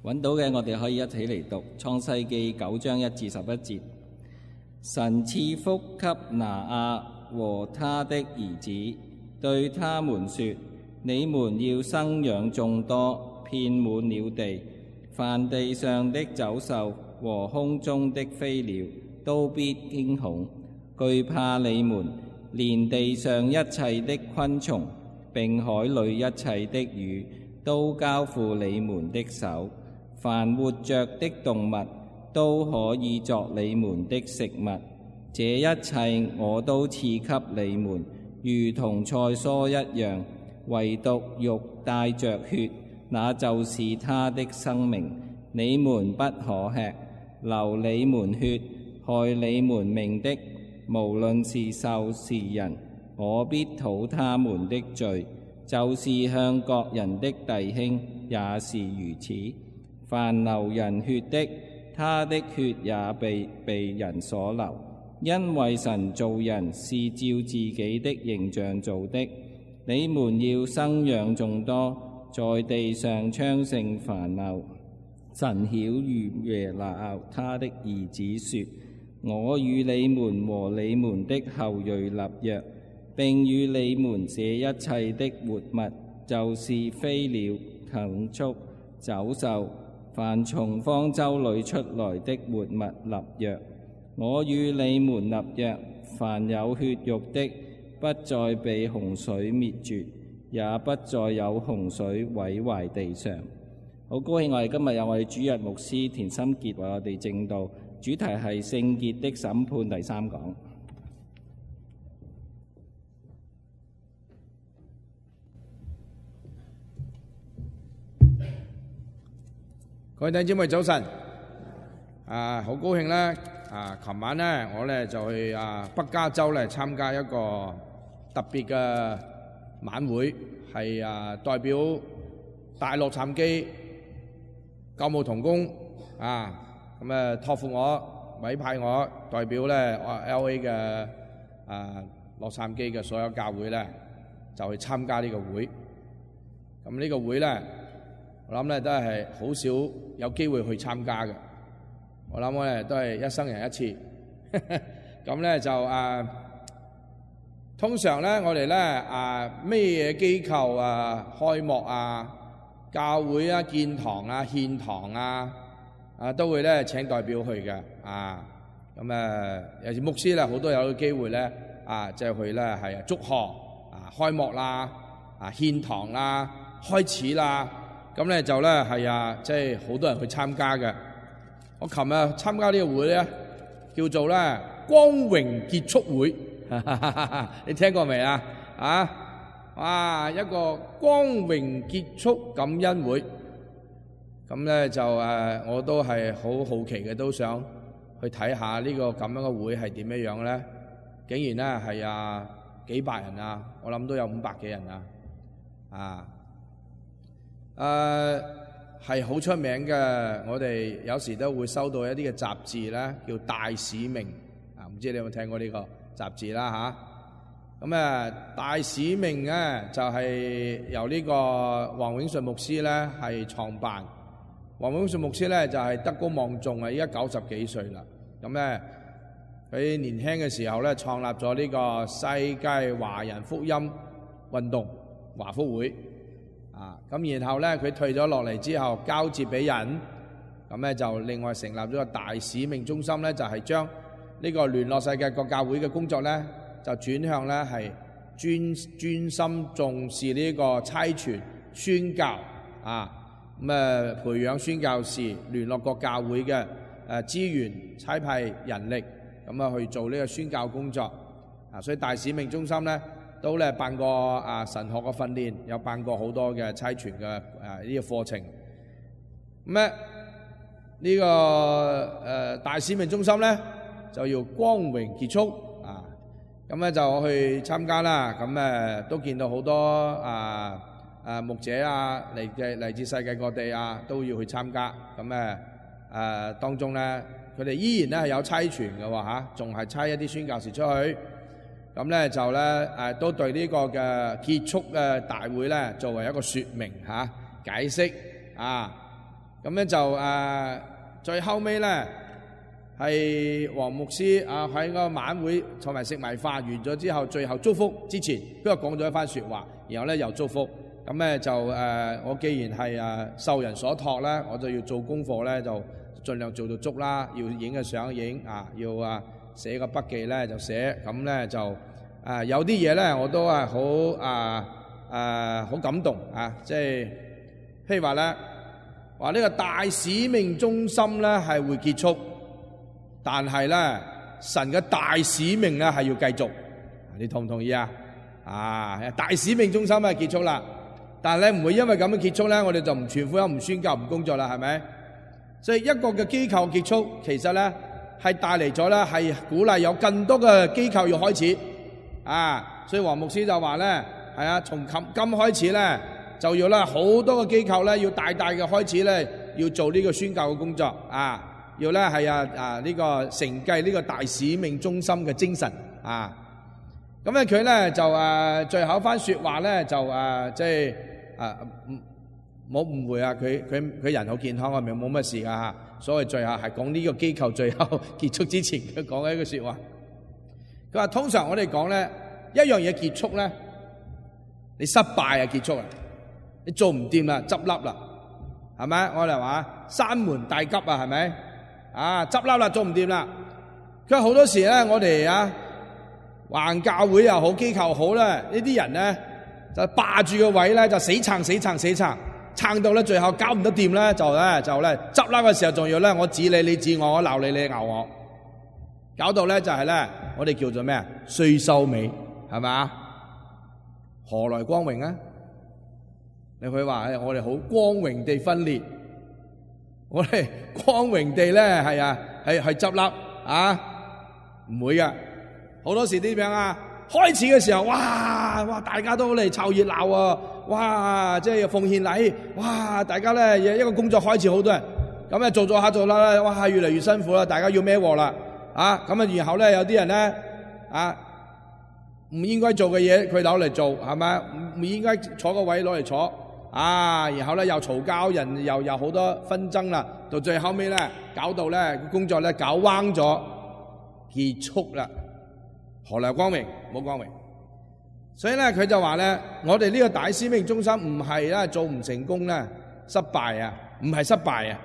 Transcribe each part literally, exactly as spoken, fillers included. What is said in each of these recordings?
揾到嘅，我哋可以一起嚟讀創世記九章一至十一節。神賜福給拿亞和他的兒子，對他們說：你們要生養眾多，遍滿了地，凡地上的走獸和空中的飛鳥都必驚恐，懼怕你們，連地上一切的昆蟲並海裏一切的魚都交付你們的手。凡活着的動物都可以作你們的食物，這一切我都賜給你們，如同菜蔬一樣，唯獨肉帶着血，那就是他的生命。你們不可吃，流你們血，害你們命的，無論是獸是人，我必討他們的罪，就是向各人的弟兄也是如此。凡流人血的，他的血也被被人所流，因為神造人是照自己的形象造的。你們要生養眾多，在地上昌盛繁茂。神曉諭耶拿亞他的兒子說：我與你們和你們的後裔立約，並與你們這一切的活物，就是飛鳥、禽畜、走獸，凡從方舟裏出來的活物立約。我與你們立約，凡有血肉的，不再被洪水滅絕，也不再有洪水毀壞地上。好高興我哋今日有我哋主日牧師田心傑為我哋證道，主題係聖潔的審判第三講。各位弟兄姊妹早晨，啊，好高興咧！啊，琴晚咧，我咧就去啊北加州咧參加一個特別嘅晚會，係啊代表大洛杉磯救牧同工啊，咁啊託付我委派我代表咧 L A 嘅啊洛杉磯嘅所有教會咧，就去參加呢個會。咁呢個會咧，我諗咧都係好少有機會去參加嘅。我諗我咧都係一生人一次。咁咧就啊，通常咧我哋咧啊咩嘢機構啊開幕啊、教會啊、建堂啊、獻堂啊，啊都會咧請代表去嘅啊。咁誒有時牧師咧好多有機會咧啊，即係去咧係祝賀啊、開幕啦、啊獻堂啦、開始啦。咁咧就咧係啊，即係好多人去參加嘅。我琴日參加呢個會咧，叫做咧光榮結束會，你聽過未啊？啊，哇！一個光榮結束感恩會。咁咧就誒，我都係好好奇嘅，都想去睇下呢個咁樣嘅會係點樣樣咧。竟然咧係啊幾百人啊，我諗都有五百幾人啊，啊！誒係好出名嘅，我哋有時都會收到一啲嘅雜誌咧，叫《大使命》啊，唔知你有冇聽過呢個雜誌啦嚇？咁啊，《大使命》咧就係由呢個黃永順牧師咧係創辦。黃永順牧師咧就係德高望重啊，依家九十幾歲啦。咁咧佢年輕嘅時候咧創立咗呢個世界華人福音運動華福會。啊，咁然後咧，佢退咗落嚟之後，交接俾人，咁咧就另外成立咗個大使命中心咧，就係將呢個聯絡世界各教會嘅工作咧，就轉向咧係專專心重視呢個差傳宣教啊，咁誒培養宣教士，聯絡各教會嘅誒資源，差派人力，咁啊去做呢個宣教工作啊，所以大使命中心咧，都咧辦過啊神學嘅訓練，有辦過好多嘅差傳嘅誒呢個課程。咁咧呢個誒、呃、大使命中心咧就要光榮結束啊！咁咧就我去參加啦。咁誒都見到好多啊啊牧者啊嚟嘅嚟自世界各地啊都要去參加。咁誒誒當中咧佢哋依然咧係有差傳嘅喎嚇，仲係差一啲宣教士出去。咁咧就咧誒都對呢個嘅結束嘅大會咧作為一個説明嚇、啊、解釋啊。咁咧就誒、呃、最後尾咧係黃牧師啊喺個晚會同埋食埋飯完咗之後，最後祝福之前，不過講咗一番説話，然後咧又祝福。咁咧就誒、呃，我既然係誒受人所託咧，我就要做功課咧，就盡量做到足啦。要影嘅相影啊，要啊寫個筆記咧就寫。咁咧就誒、呃、有啲嘢咧我都係好啊誒好感動啊！即係譬如話咧話呢個大使命中心咧係會結束，但係咧神嘅大使命咧係要繼續。你同唔同意啊？啊，大使命中心啊結束啦。但係咧唔會因為咁樣結束咧，我哋就唔傳福音、唔宣教、唔工作啦，係咪？所以一個嘅機構結束，其實咧係帶嚟咗咧係鼓勵有更多嘅機構要開始啊！所以黃牧師就話咧，係啊，從今今開始咧就要咧好多嘅機構咧要大大嘅開始咧要做呢個宣教嘅工作啊！要咧係啊啊呢個承繼呢個大使命中心嘅精神啊！咁咧佢咧就誒最後一番説話咧就誒即係。啊，唔冇誤會啊！佢佢佢人好健康啊，咪冇乜事噶嚇。所謂最後係講呢個機構最後結束之前，佢講嘅一句説話。佢話通常我哋講咧一樣嘢結束咧，你失敗啊結束啊，你做唔掂啦，執笠啦，係咪？我哋話山門大吉啊，係咪？啊，執笠啦，做唔掂啦。佢話好多時咧，我哋啊橫教會又好，機構好咧，呢啲人咧。就霸住個位咧，就死撐死撐死撐，撐到咧最後搞唔得掂咧，就咧就咧執笠嘅時候，仲要咧我指你你指我，我鬧你你鬧我，搞到咧就係咧我哋叫做咩啊？衰收尾係咪？何來光榮啊？你佢話我哋好光榮地分裂，我哋光榮地咧係啊係係執笠啊？唔會噶，好多時點樣啊？開始嘅時候，哇哇，大家都嚟湊熱鬧啊！哇，即係奉獻禮，哇，大家咧一個工作開始，好多人咁咧做做下做啦，哇，越嚟越辛苦啦，大家要孭鑊啦，啊，咁啊，然後咧有啲人咧啊，唔應該做嘅嘢佢攞嚟做，係咪？唔唔應該坐個位攞嚟坐，啊，然後咧又嘈交，人又有好多紛爭啦，到最後尾咧搞到咧工作咧搞彎咗，結束啦。何來光榮？冇光榮。所以咧，佢就話咧，我哋呢個大使命中心唔係咧做唔成功咧，失敗啊，唔係失敗啊，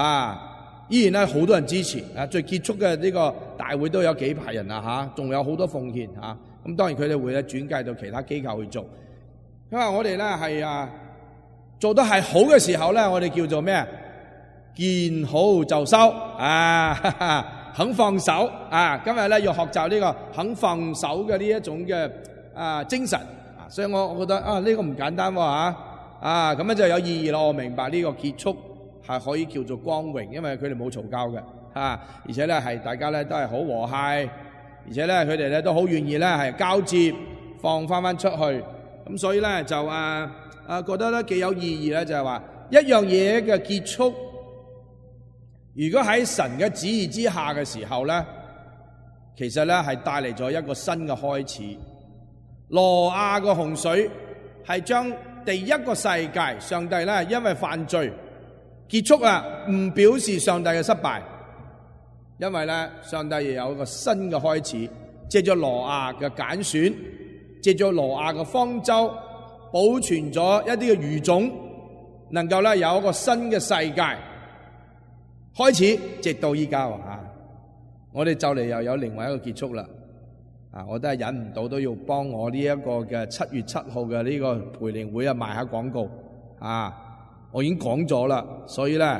啊，依然咧好多人支持啊。最結束嘅呢個大會都有幾百人啊，吓，仲有好多奉獻吓。咁當然佢哋會咧轉介到其他機構去做。因為我哋咧係啊做得係好嘅時候咧，我哋叫做咩啊？見好就收啊！哈哈，肯放手啊！今日咧要學習呢個肯放手嘅呢一種嘅啊精神啊，所以我我覺得啊呢個唔簡單喎嚇啊，咁樣就有意義咯。我明白呢個結束係可以叫做光榮，因為佢哋冇嘈交嘅嚇，而且咧係大家咧都係好和諧，而且咧佢哋咧都好願意咧係交接放翻翻出去，咁所以咧就啊啊覺得咧幾有意義咧，就係話一樣嘢嘅結束。如果喺神嘅旨意之下嘅時候咧，其實咧係帶嚟咗一個新嘅開始。挪亞個洪水係將第一個世界，上帝咧因為犯罪結束啦，唔表示上帝嘅失敗，因為咧上帝又有一個新嘅開始，借咗挪亞嘅揀選，借咗挪亞嘅方舟，保存咗一啲嘅餘種，能夠咧有一個新嘅世界。開始，直到依家喎嚇，我哋就嚟又有另外一個結束啦。啊，我都係忍唔到，都要幫我呢一個嘅七月七號嘅呢個培靈會啊賣下廣告啊！我已經講咗啦，所以咧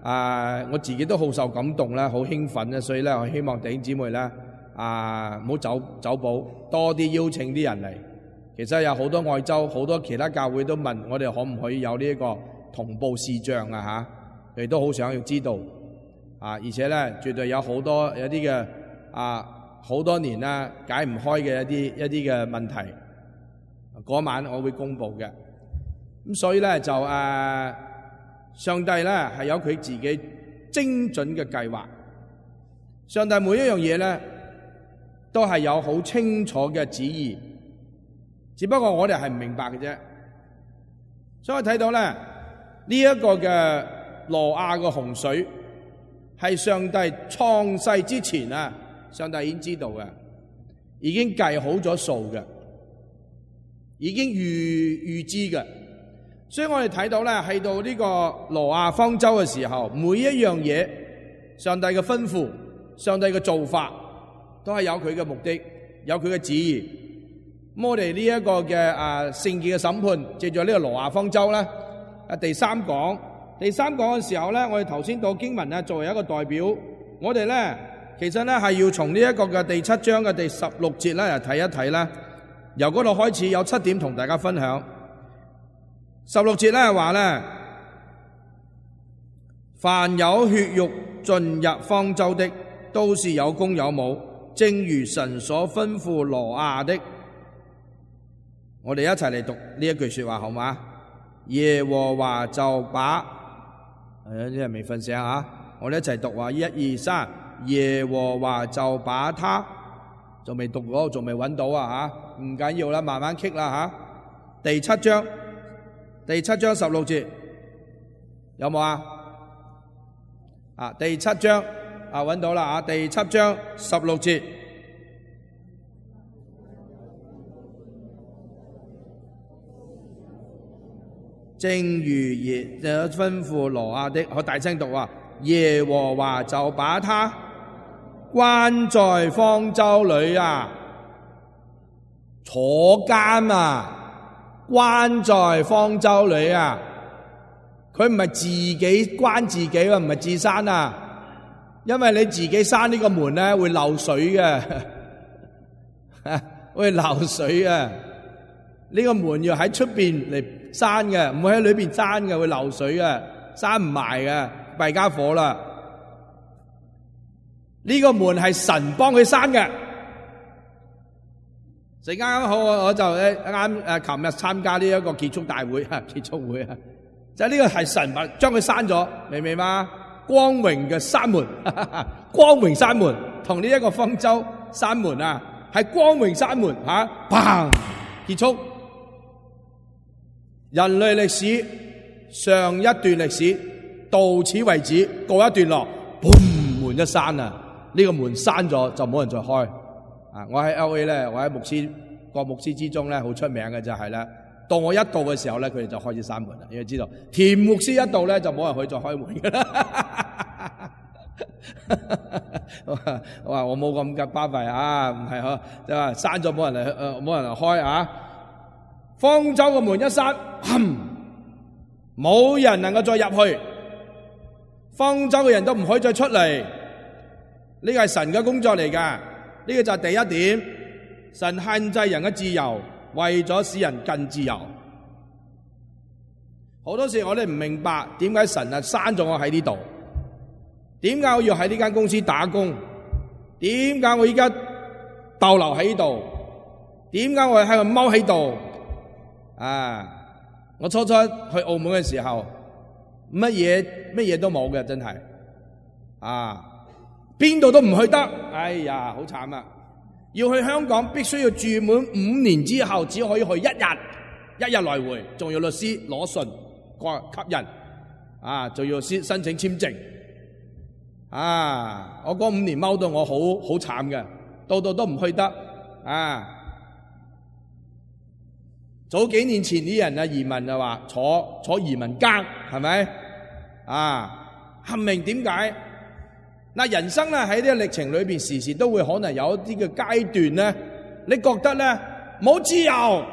啊，我自己都好受感動啦，好興奮咧，所以咧我希望弟兄姊妹咧啊，唔好走走寶，多啲邀請啲人嚟。其實有好多外州、好多其他教會都問我哋可唔可以有呢一個同步視像啊嚇。佢哋都好想要知道，啊！而且咧，絕對有好多有啲嘅啊，好多年啦解唔開嘅一啲一啲嘅問題。嗰晚我會公佈嘅。咁所以咧就誒、啊，上帝咧係有佢自己精準嘅計劃。上帝每一樣嘢咧都係有好清楚嘅旨意，只不過我哋係唔明白嘅啫。所以我睇到咧呢一個嘅挪亞嘅洪水係上帝創世之前啊，上帝已經知道嘅，已經計好咗數嘅，已經預預知嘅。所以我哋睇到咧，喺到呢個挪亞方舟嘅時候，每一樣嘢，上帝嘅吩咐，上帝嘅做法，都係有佢嘅目的，有佢嘅旨意。咁我哋呢一個嘅啊聖潔嘅審判，借住呢個挪亞方舟咧，啊第三講，第三講嘅時候咧，我哋頭先讀經文咧，作為一個代表，我哋咧其實咧係要從呢一個嘅第七章嘅第十六節咧嚟睇一睇啦。由嗰度開始有七點同大家分享。十六節咧話咧，凡有血肉進入方舟的，都是有公有母，正如神所吩咐挪亞的。我哋一齊嚟讀呢一句說話好嗎？耶和華就把，誒啲人未瞓醒啊！我哋一齊讀話，一二三，耶和華就把他，仲未讀嗰，仲未揾到啊吓，唔緊要啦，慢慢傾啦吓。第七章，第七章十六節有冇啊？啊，第七章啊揾到啦啊，第七章十六節。正如耶吩咐挪亞的，我大聲讀話，耶和華就把他關在方舟裏啊，坐監啊，關在方舟裏啊。佢唔係自己關自己啊，唔係自閂啊，因為你自己閂呢個門咧會漏水嘅，會漏水啊。呢個門要喺出邊嚟閂嘅，唔會喺裏邊閂嘅，會漏水嘅，閂唔埋嘅，弊家伙啦！呢個門係神幫佢閂嘅。陣間啱好我就咧啱誒，琴日參加呢一個結束大會啊，結束會啊，就係呢個係神將佢閂咗，明唔明嘛？光榮嘅閂門，光榮閂門，同呢一個方舟閂門啊，係光榮閂門吓，砰結束。人類歷史上一段歷史到此為止，告一段落，砰，門一閂啊！呢、這個門閂咗就冇人再開啊！我喺 L A 咧，我喺牧師個牧師之中咧，好出名嘅就係咧，到我一到嘅時候咧，佢哋就開始閂門啦。你要知道，田牧師一到咧，就冇人可以再開門噶啦。我話我冇咁嘅巴閉啊，唔係嗬，就話閂咗冇人嚟，誒冇人嚟開啊！方舟嘅門一閂，冇人能夠再入去，方舟嘅人都唔可以再出嚟。呢個係神嘅工作嚟噶，呢個就係第一點。神限制人嘅自由，為咗使人更自由。好多時我哋唔明白點解神啊閂咗我喺呢度，點解我要喺呢間公司打工，點解我依家逗留喺呢度，點解我喺度踎喺度？啊！我初初去澳門嘅時候，乜嘢乜嘢都冇嘅，真係啊！邊度都唔去得，哎呀，好慘啊！要去香港，必須要住滿五年之後，只可以去一日，一日來回，仲要律師攞信過吸引，啊，仲要先申請簽證，啊！我嗰五年踎到我好好慘嘅，到度都唔去得，啊！早幾年前啲人啊移民就話坐坐移民監，係咪啊？唔明點解？嗱，人生咧喺呢個歷程裏邊，時時都會可能有一啲嘅階段咧，你覺得咧冇自由，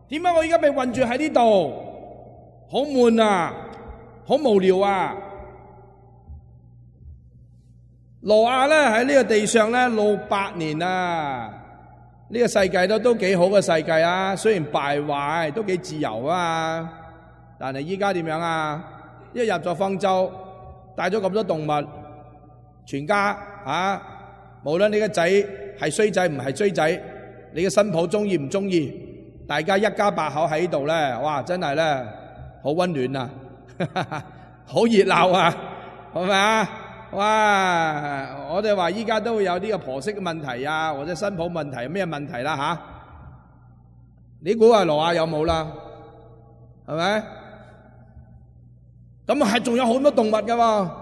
點解我而家被困住喺呢度？好悶啊，好無聊啊！挪亞咧喺呢個地上咧六百年啊！呢個世界都都幾好嘅世界啊，雖然敗壞，都幾自由啊。但係依家點樣啊？一入咗方舟，帶咗咁多動物，全家啊，無論你個仔係衰仔唔係衰仔，你嘅新抱中意唔中意，大家一家八口喺度咧，哇，真係咧好溫暖啊，好熱鬧啊，係咪啊？哇！我哋話依家都會有呢個婆媳嘅問題啊，或者新抱問題，咩問題啦吓？你估下挪亞有冇啦？係咪？咁係仲有好多動物噶嘛？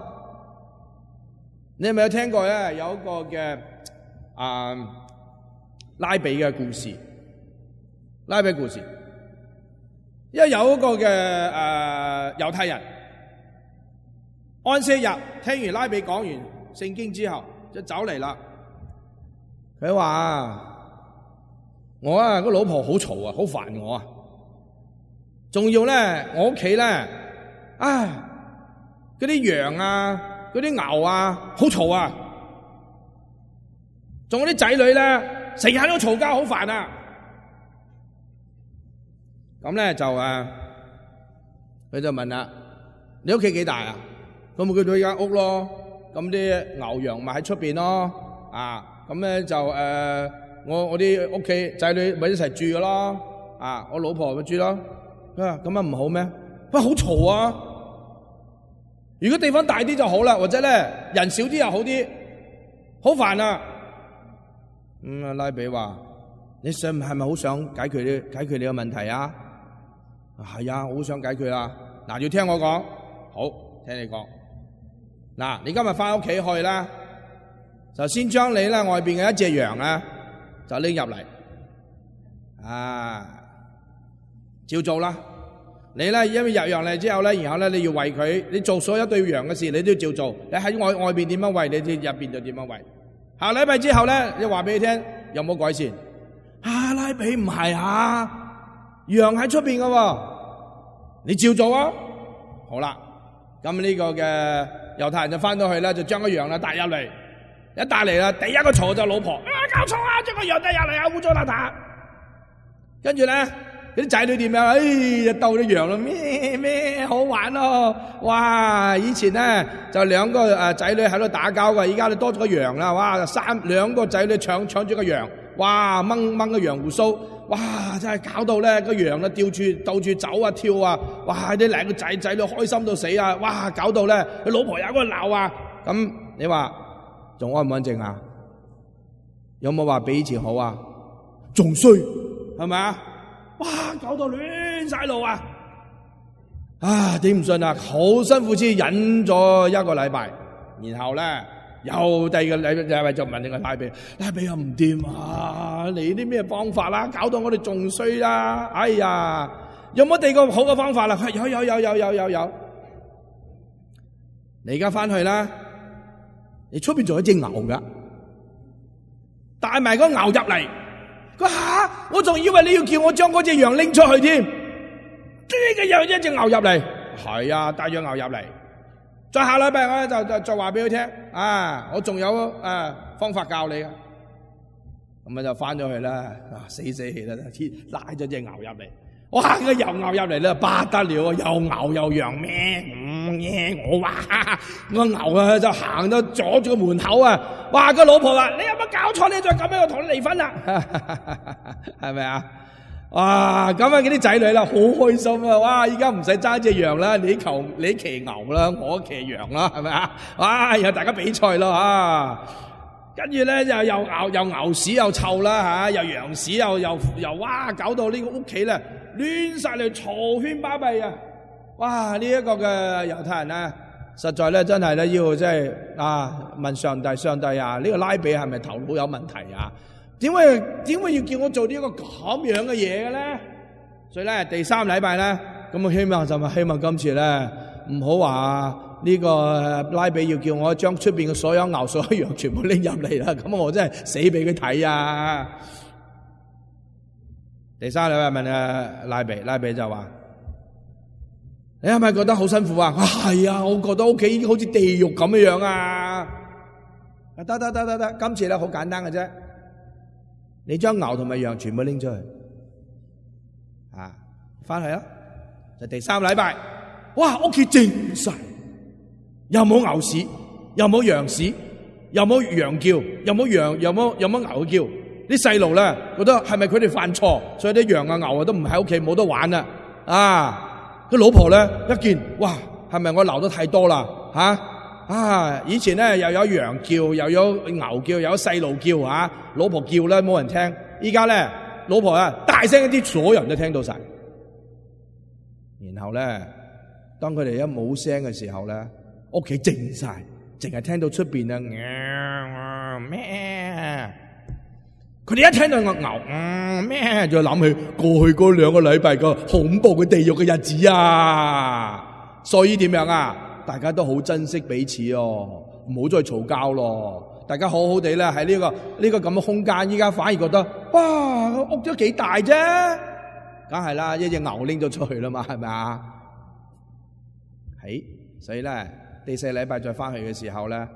你係咪有聽過咧？有一個嘅啊拉比嘅故事，拉比故事，因為有一個嘅誒猶太人安息日聽完拉比講完聖經之後，就走嚟啦。佢話：我啊個老婆好嘈啊，好煩我啊！仲要咧，我屋企咧，唉，嗰啲羊啊，嗰啲牛啊，好嘈啊！仲有啲仔女咧，成日都嘈交，好煩啊！咁咧就誒，佢就問啦：你屋企幾大啊？咁咪佢到間屋咯。咁啲牛羊咪喺出邊咯。啊，咁咧就誒，我我啲屋企仔女咪一齊住噶咯。啊，我老婆咪住咯。佢話咁樣唔好咩？喂，好嘈啊！如果地方大啲就好啦，或者咧人少啲又好啲，好煩啊！咁啊，拉比話：你想係咪好想解決呢解決你個問題啊？係啊，我好想解決啊！嗱，要聽我講，好，聽你講。嗱，你今日翻屋企去啦，就先將你咧外邊嘅一隻羊啊，就拎入嚟，啊，照做啦。你咧因為入羊嚟之後咧，然後咧你要餵佢，你做所有對羊嘅事，你都要照做。你喺外外邊點樣餵，你哋入邊就點樣餵。下禮拜之後咧，你話俾你聽有冇改善？啊，拉比唔係啊，羊喺出邊噶喎，你照做啊。好啦，咁呢個嘅猶太人就翻到去咧，就將個羊啦帶入嚟，一帶嚟啦，第一個嘈就老婆，啊搞錯啊，將個羊帶入嚟啊，污糟邋遢。跟住咧，啲仔女點樣？哎呀，鬥啲羊咯，咩咩好玩咯！哇，以前咧就兩個誒仔女喺度打交噶，而家就多咗個羊啦，哇，三兩個仔女搶搶住個羊，哇，掹掹個羊鬍鬚。哇！真係搞到咧個羊咧吊住鬥住走啊跳啊！哇！啲兩個仔仔都開心到死啊！哇！搞到咧佢老婆有個鬧啊！咁你話仲安唔安靜啊？有冇話比以前好啊？仲衰係咪啊？哇！搞到亂晒路啊！啊！頂唔順啊！好辛苦先忍咗一個禮拜，然後咧。又第二個禮拜就問你個拉比，拉比又唔掂啊！你啲咩方法啦？搞到我哋仲衰啦！哎呀，有冇第二個好嘅方法啦？有有有有有有有，你而家翻去啦，你出邊仲有一隻牛噶，帶埋個牛入嚟。佢吓，我仲以為你要叫我將嗰隻羊拎出去添，呢個又一隻牛入嚟，係啊，帶咗牛入嚟。再下禮拜我咧就就再話俾佢聽，啊，我仲有誒、啊、方法教你嘅，咁啊就翻咗去啦，啊死死氣啦，拉咗隻牛入嚟，哇個又牛入嚟咧不得了啊，又牛又羊咩，嗯嘢我話個牛啊就行到阻住個門口啊，哇個老婆話你有冇搞錯？你再咁樣我同你離婚啦，係咪啊？哇！咁啊，嗰啲仔女啦，好開心啊！哇！依家唔使揸隻羊啦，你求你騎牛啦，我騎羊啦，係咪啊？哇！然後大家比賽咯啊！跟住咧又又牛又牛屎又臭啦吓，又羊屎又又又哇！搞到呢個屋企咧亂晒嚟，嘈喧巴閉啊！哇！呢一個嘅猶太人啊，實在咧真係咧要即係啊問上帝，上帝啊，呢個拉比係咪頭腦有問題啊？點會點會要叫我做呢一個咁樣嘅嘢嘅咧？所以咧第三禮拜咧，咁我希望就係希望今次咧唔好話呢個拉比要叫我將出邊嘅所有牛、所有羊全部拎入嚟啦，咁我真係死俾佢睇啊！第三禮拜問啊拉比，拉比就話：你係咪覺得好辛苦啊？係啊，我覺得屋企已經好似地獄咁樣樣啊！得得得得得，今次咧好簡單嘅啫。你將牛同埋羊全部拎出去，啊，翻去啦，就第三禮拜，哇，屋企靜晒，又冇牛屎，又冇羊屎，又冇羊叫，又冇羊，又冇又冇牛叫，啲細路咧覺得係咪佢哋犯錯，所以啲羊啊牛啊都唔喺屋企冇得玩啦，啊，個老婆咧一見，哇，係咪我鬧得太多啦，吓、啊？啊！以前咧又有羊叫，又有牛叫，又有細路叫啊！老婆叫咧冇人聽，依家咧老婆啊大聲一啲，所有人都聽到晒。然後咧當佢哋一冇聲嘅時候咧，屋企靜晒，淨係聽到出邊啊咩？佢哋一聽到個牛嗯咩，就諗起過去嗰兩個禮拜個恐怖嘅地獄嘅日子啊！所以點樣啊？大家都好珍惜彼此哦，唔好再嘈交咯。大家好好地咧喺呢個呢個咁嘅空間，依家反而覺得哇，個屋都幾大啫，梗係啦，一隻牛拎咗出去啦嘛，係咪啊？係，所以咧第四禮拜再翻去嘅時候咧，啊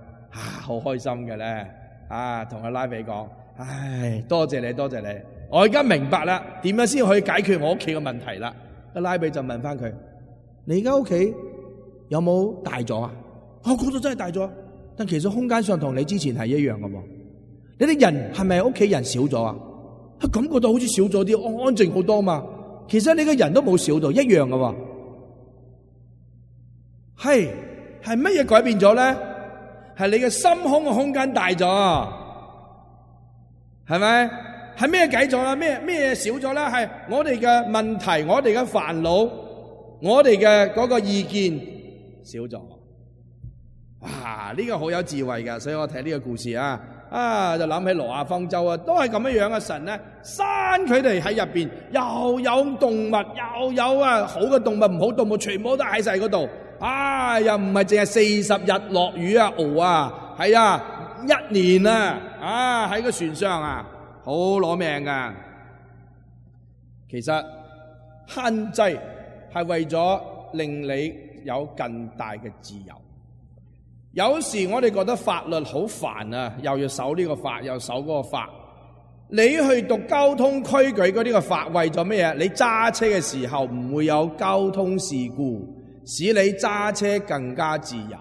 好開心嘅咧，啊同阿拉比講。唉，多謝你，多謝你。我而家明白啦，點樣先可以解決我屋企嘅問題啦？阿拉比就問翻佢：你而家屋企有冇大咗啊？我覺得真係大咗，但其實空間上同你之前係一樣嘅喎。你啲人係咪屋企人少咗啊？感覺到好似少咗啲，安安靜好多嘛。其實你嘅人都冇少到，一樣嘅喎。係係乜嘢改變咗咧？係你嘅心胸嘅空間大咗。係咪？係咩計咗啦？咩咩少咗啦？係我哋嘅問題，我哋嘅煩惱，我哋嘅嗰個意見少咗。哇！呢個好有智慧㗎，所以我睇呢個故事啊，啊就諗起挪亞方舟啊，都係咁樣樣嘅。神咧，閂佢哋喺入邊，又有動物，又有啊好嘅動物，唔好動物，全部都喺晒嗰度。啊，又唔係淨係四十日落雨啊，熬啊，係啊。一年啊，啊喺個船上啊，好攞命噶。其實限制係為咗令你有更大嘅自由。有時我哋覺得法律好煩啊，又要守呢個法，又守嗰個法。你去讀交通規矩嗰啲個法，為咗咩嘢？你揸車嘅時候唔會有交通事故，使你揸車更加自由。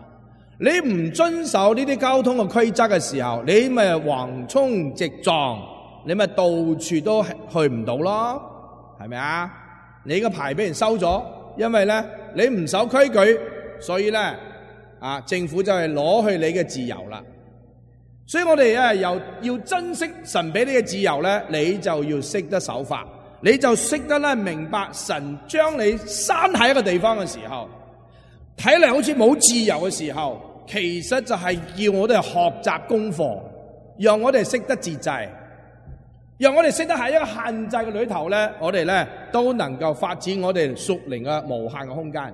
你唔遵守呢啲交通嘅規則嘅時候，你咪橫衝直撞，你咪到處都去唔到咯，係咪啊？你個牌俾人收咗，因為咧你唔守規矩，所以咧啊政府就係攞去你嘅自由啦。所以我哋啊又要珍惜神俾你嘅自由咧，你就要識得守法，你就識得咧明白神將你閂喺一個地方嘅時候，睇嚟好似冇自由嘅時候，其實就係叫我哋學習功課，讓我哋識得自制，讓我哋識得喺一個限制嘅裏頭咧，我哋咧都能夠發展我哋屬靈嘅無限嘅空間。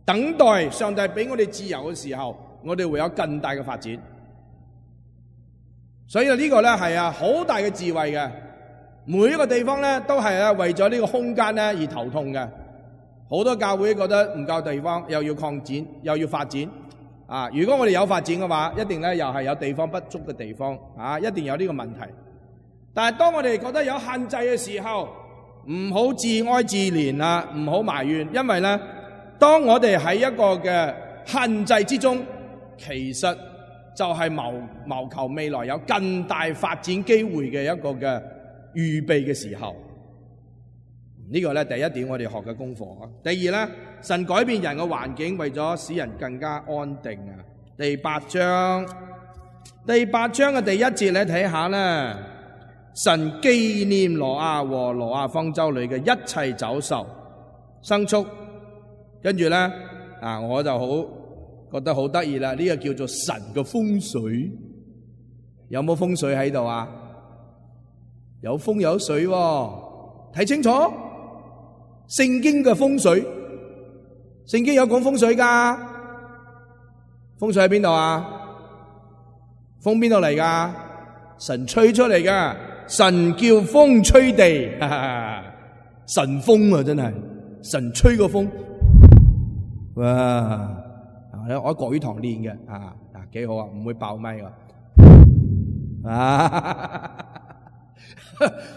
等待上帝俾我哋自由嘅時候，我哋會有更大嘅發展。所以呢個咧係啊好大嘅智慧嘅，每一個地方咧都係啊為咗呢個空間咧而頭痛嘅。好多教會覺得唔夠地方，又要擴展，又要發展。啊，如果我哋有發展嘅話，一定咧又係有地方不足嘅地方，啊，一定有呢個問題。但係當我哋覺得有限制嘅時候，唔好自哀自憐啊，唔好埋怨，因為咧，當我哋喺一個嘅限制之中，其實就係謀謀求未來有更大發展機會嘅一個嘅預備嘅時候。呢個咧第一點我哋學嘅功課啊。第二咧，神改變人嘅環境，為咗使人更加安定啊。第八章，第八章嘅第一節你睇下咧，神紀念挪亞和挪亞方舟裏嘅一切走獸、牲畜，跟住咧啊，我就好覺得好得意啦。呢個叫做神嘅風水，有冇風水喺度啊？有風有水喎，睇清楚。聖經嘅風水，聖經有講風水噶，風水喺邊度啊？風邊度嚟噶？神吹出嚟噶，神叫風吹地，哈哈，神風啊，真係神吹個風，哇！我喺國語堂練嘅，啊啊幾好啊，唔會爆咪噶，啊！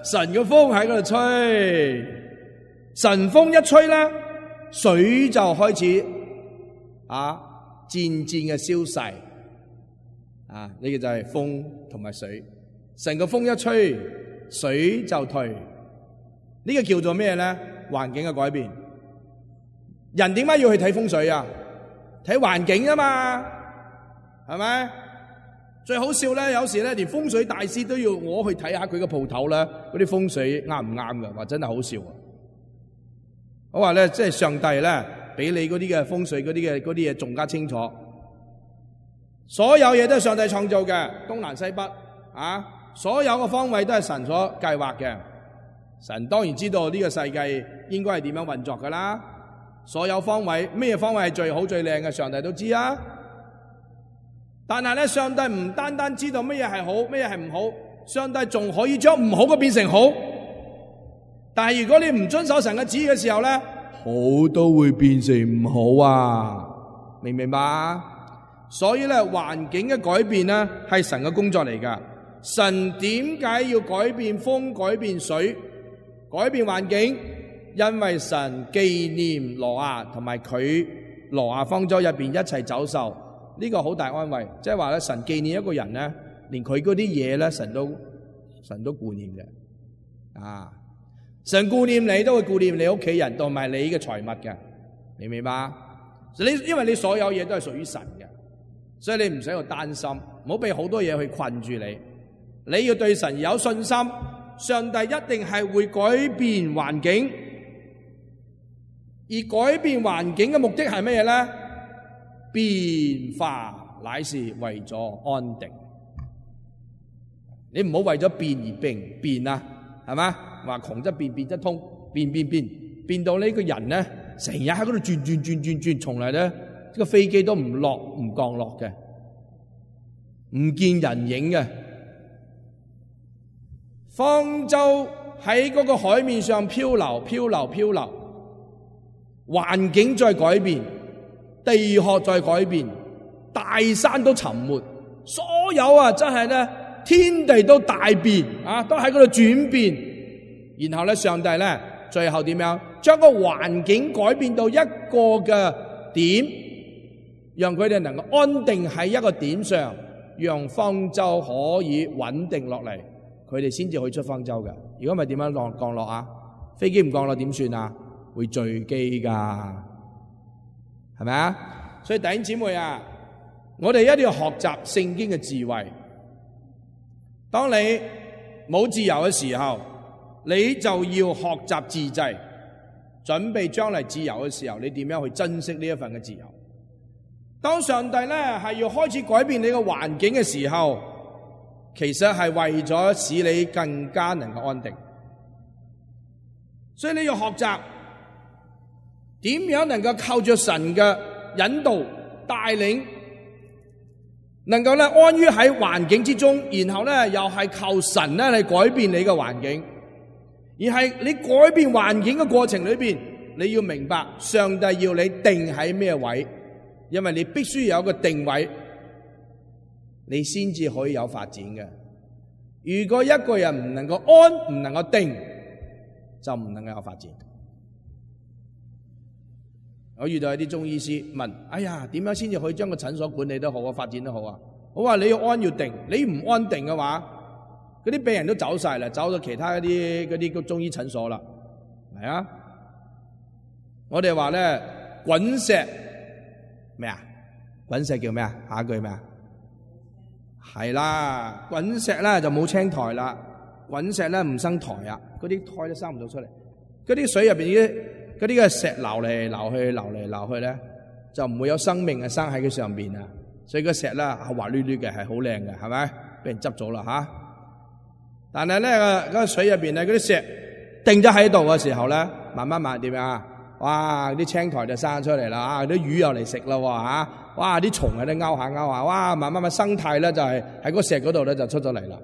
神嘅風喺嗰度吹。神風一吹咧，水就開始啊漸漸嘅消逝啊！呢個就係風同埋水。神個風一吹，水就退。呢個叫做咩咧？環境嘅改變。人點解要去睇風水啊？睇環境啊嘛，係咪？最好笑咧，有時咧連風水大師都要我去睇下佢個鋪頭咧，嗰啲風水啱唔啱㗎？話真係好笑啊！我話咧，即係上帝咧比你嗰啲嘅風水嗰啲嘅嗰啲嘢仲加清楚。所有嘢都係上帝創造嘅，東南西北啊，所有嘅方位都係神所計劃嘅。神當然知道呢個世界應該係點樣運作噶啦。所有方位，咩方位係最好最靚嘅，上帝都知啊。但係咧，上帝唔單單知道乜嘢係好，乜嘢係唔好，上帝仲可以將唔好嘅變成好。但係如果你唔遵守神嘅旨意嘅時候咧，好都會變成唔好啊，明唔明白？所以咧，環境嘅改變咧係神嘅工作嚟噶。神點解要改變風、改變水、改變環境？因為神紀念挪亞同埋佢挪亞方舟入邊一齊走獸，呢個好大安慰。即係話咧，神紀念一個人咧，連佢嗰啲嘢咧，神都神都顧念嘅。啊，神顧念你，都會顧念你屋企人同埋你嘅財物嘅，明唔明白？你因為你所有嘢都係屬於神嘅，所以你唔使去擔心，唔好俾好多嘢去困住你。你要對神有信心，上帝一定係會改變環境。而改變環境嘅目的係乜嘢咧？變化乃是為咗安定。你唔好為咗變而變變啊，係嘛？話窮則變，變則通，變變變，變到呢個人咧，成日喺嗰度轉轉轉轉轉，從來咧呢個飛機都唔落唔降落嘅，唔見人影嘅。方舟喺嗰個海面上漂流，漂流，漂流。環境再改變，地殼再改變，大山都沉沒，所有啊真係咧天地都大變啊，都喺嗰度轉變。然後咧，上帝咧最後點樣將個環境改變到一個嘅點，讓佢哋能夠安定喺一個點上，讓方舟可以穩定落嚟，佢哋先至可以出方舟嘅。如果唔係點樣降降落啊？飛機唔降落點算啊？會墜機噶，係咪啊？所以弟兄姊妹啊，我哋一定要學習聖經嘅智慧。當你冇自由嘅時候，你就要學習自制，準備將來自由嘅時候，你點樣去珍惜呢一份嘅自由？當上帝咧係要開始改變你嘅環境嘅時候，其實係為咗使你更加能夠安定。所以你要學習。點樣能夠靠着神嘅引導帶領，能夠咧安於喺環境之中，然後咧又係靠神咧嚟改變你嘅環境，而係你改變環境嘅過程裏邊，你要明白上帝要你定喺咩位，因為你必須有一個定位，你先至可以有發展嘅。如果一個人唔能夠安，唔能夠定，就唔能夠有發展。我遇到一啲中醫師問：哎呀，點樣先至可以將個診所管理得好啊，發展得好啊？我話你要安要定，你唔安定嘅話，嗰啲病人都走晒啦，走到其他一啲嗰啲中醫診所啦，係啊？我哋話咧滾石咩啊？滾石叫咩啊？下一句咩啊？係啦，滾石咧就冇青苔啦，滾石咧唔生苔啊，嗰啲苔都生唔到出嚟，嗰啲水入邊啲。嗰啲嘅石流嚟流去，流嚟流去咧，就唔會有生命嘅生喺佢上邊啊！所以個石咧係滑捋捋嘅，係好靚嘅，係咪？俾人執咗啦吓！但係咧個嗰個水入邊咧，嗰啲石定咗喺度嘅時候咧，慢慢慢點啊？哇！啲青苔就生出嚟啦，啊！啲魚又嚟食啦喎嚇！哇！啲蟲喺度勾下勾下，哇！慢慢慢生態咧就係喺個石嗰度咧就出咗嚟啦。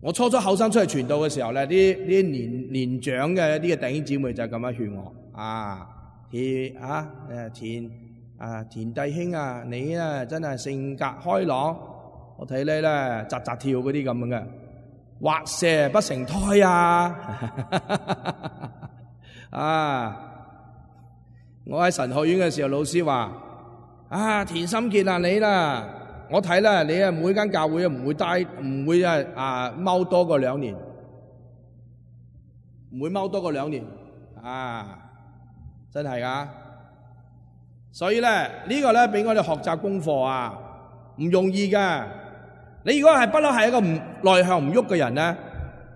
我初初後生出嚟傳道嘅時候咧，啲啲年年長嘅一啲嘅弟兄姊妹就咁樣勸我啊，田啊誒田啊田弟兄啊，你啊真係性格開朗，我睇你咧扎扎跳嗰啲咁樣嘅，畫蛇不成胎啊！啊！我喺神學院嘅時候，老師話啊，田心傑啊，你啦。我睇啦，你啊每間教會啊唔會待唔會啊啊踎多過兩年，唔會踎多過兩年啊！真係噶，所以咧呢個咧俾我哋學習功課啊，唔容易噶。你如果係不嬲係一個唔內向唔喐嘅人咧，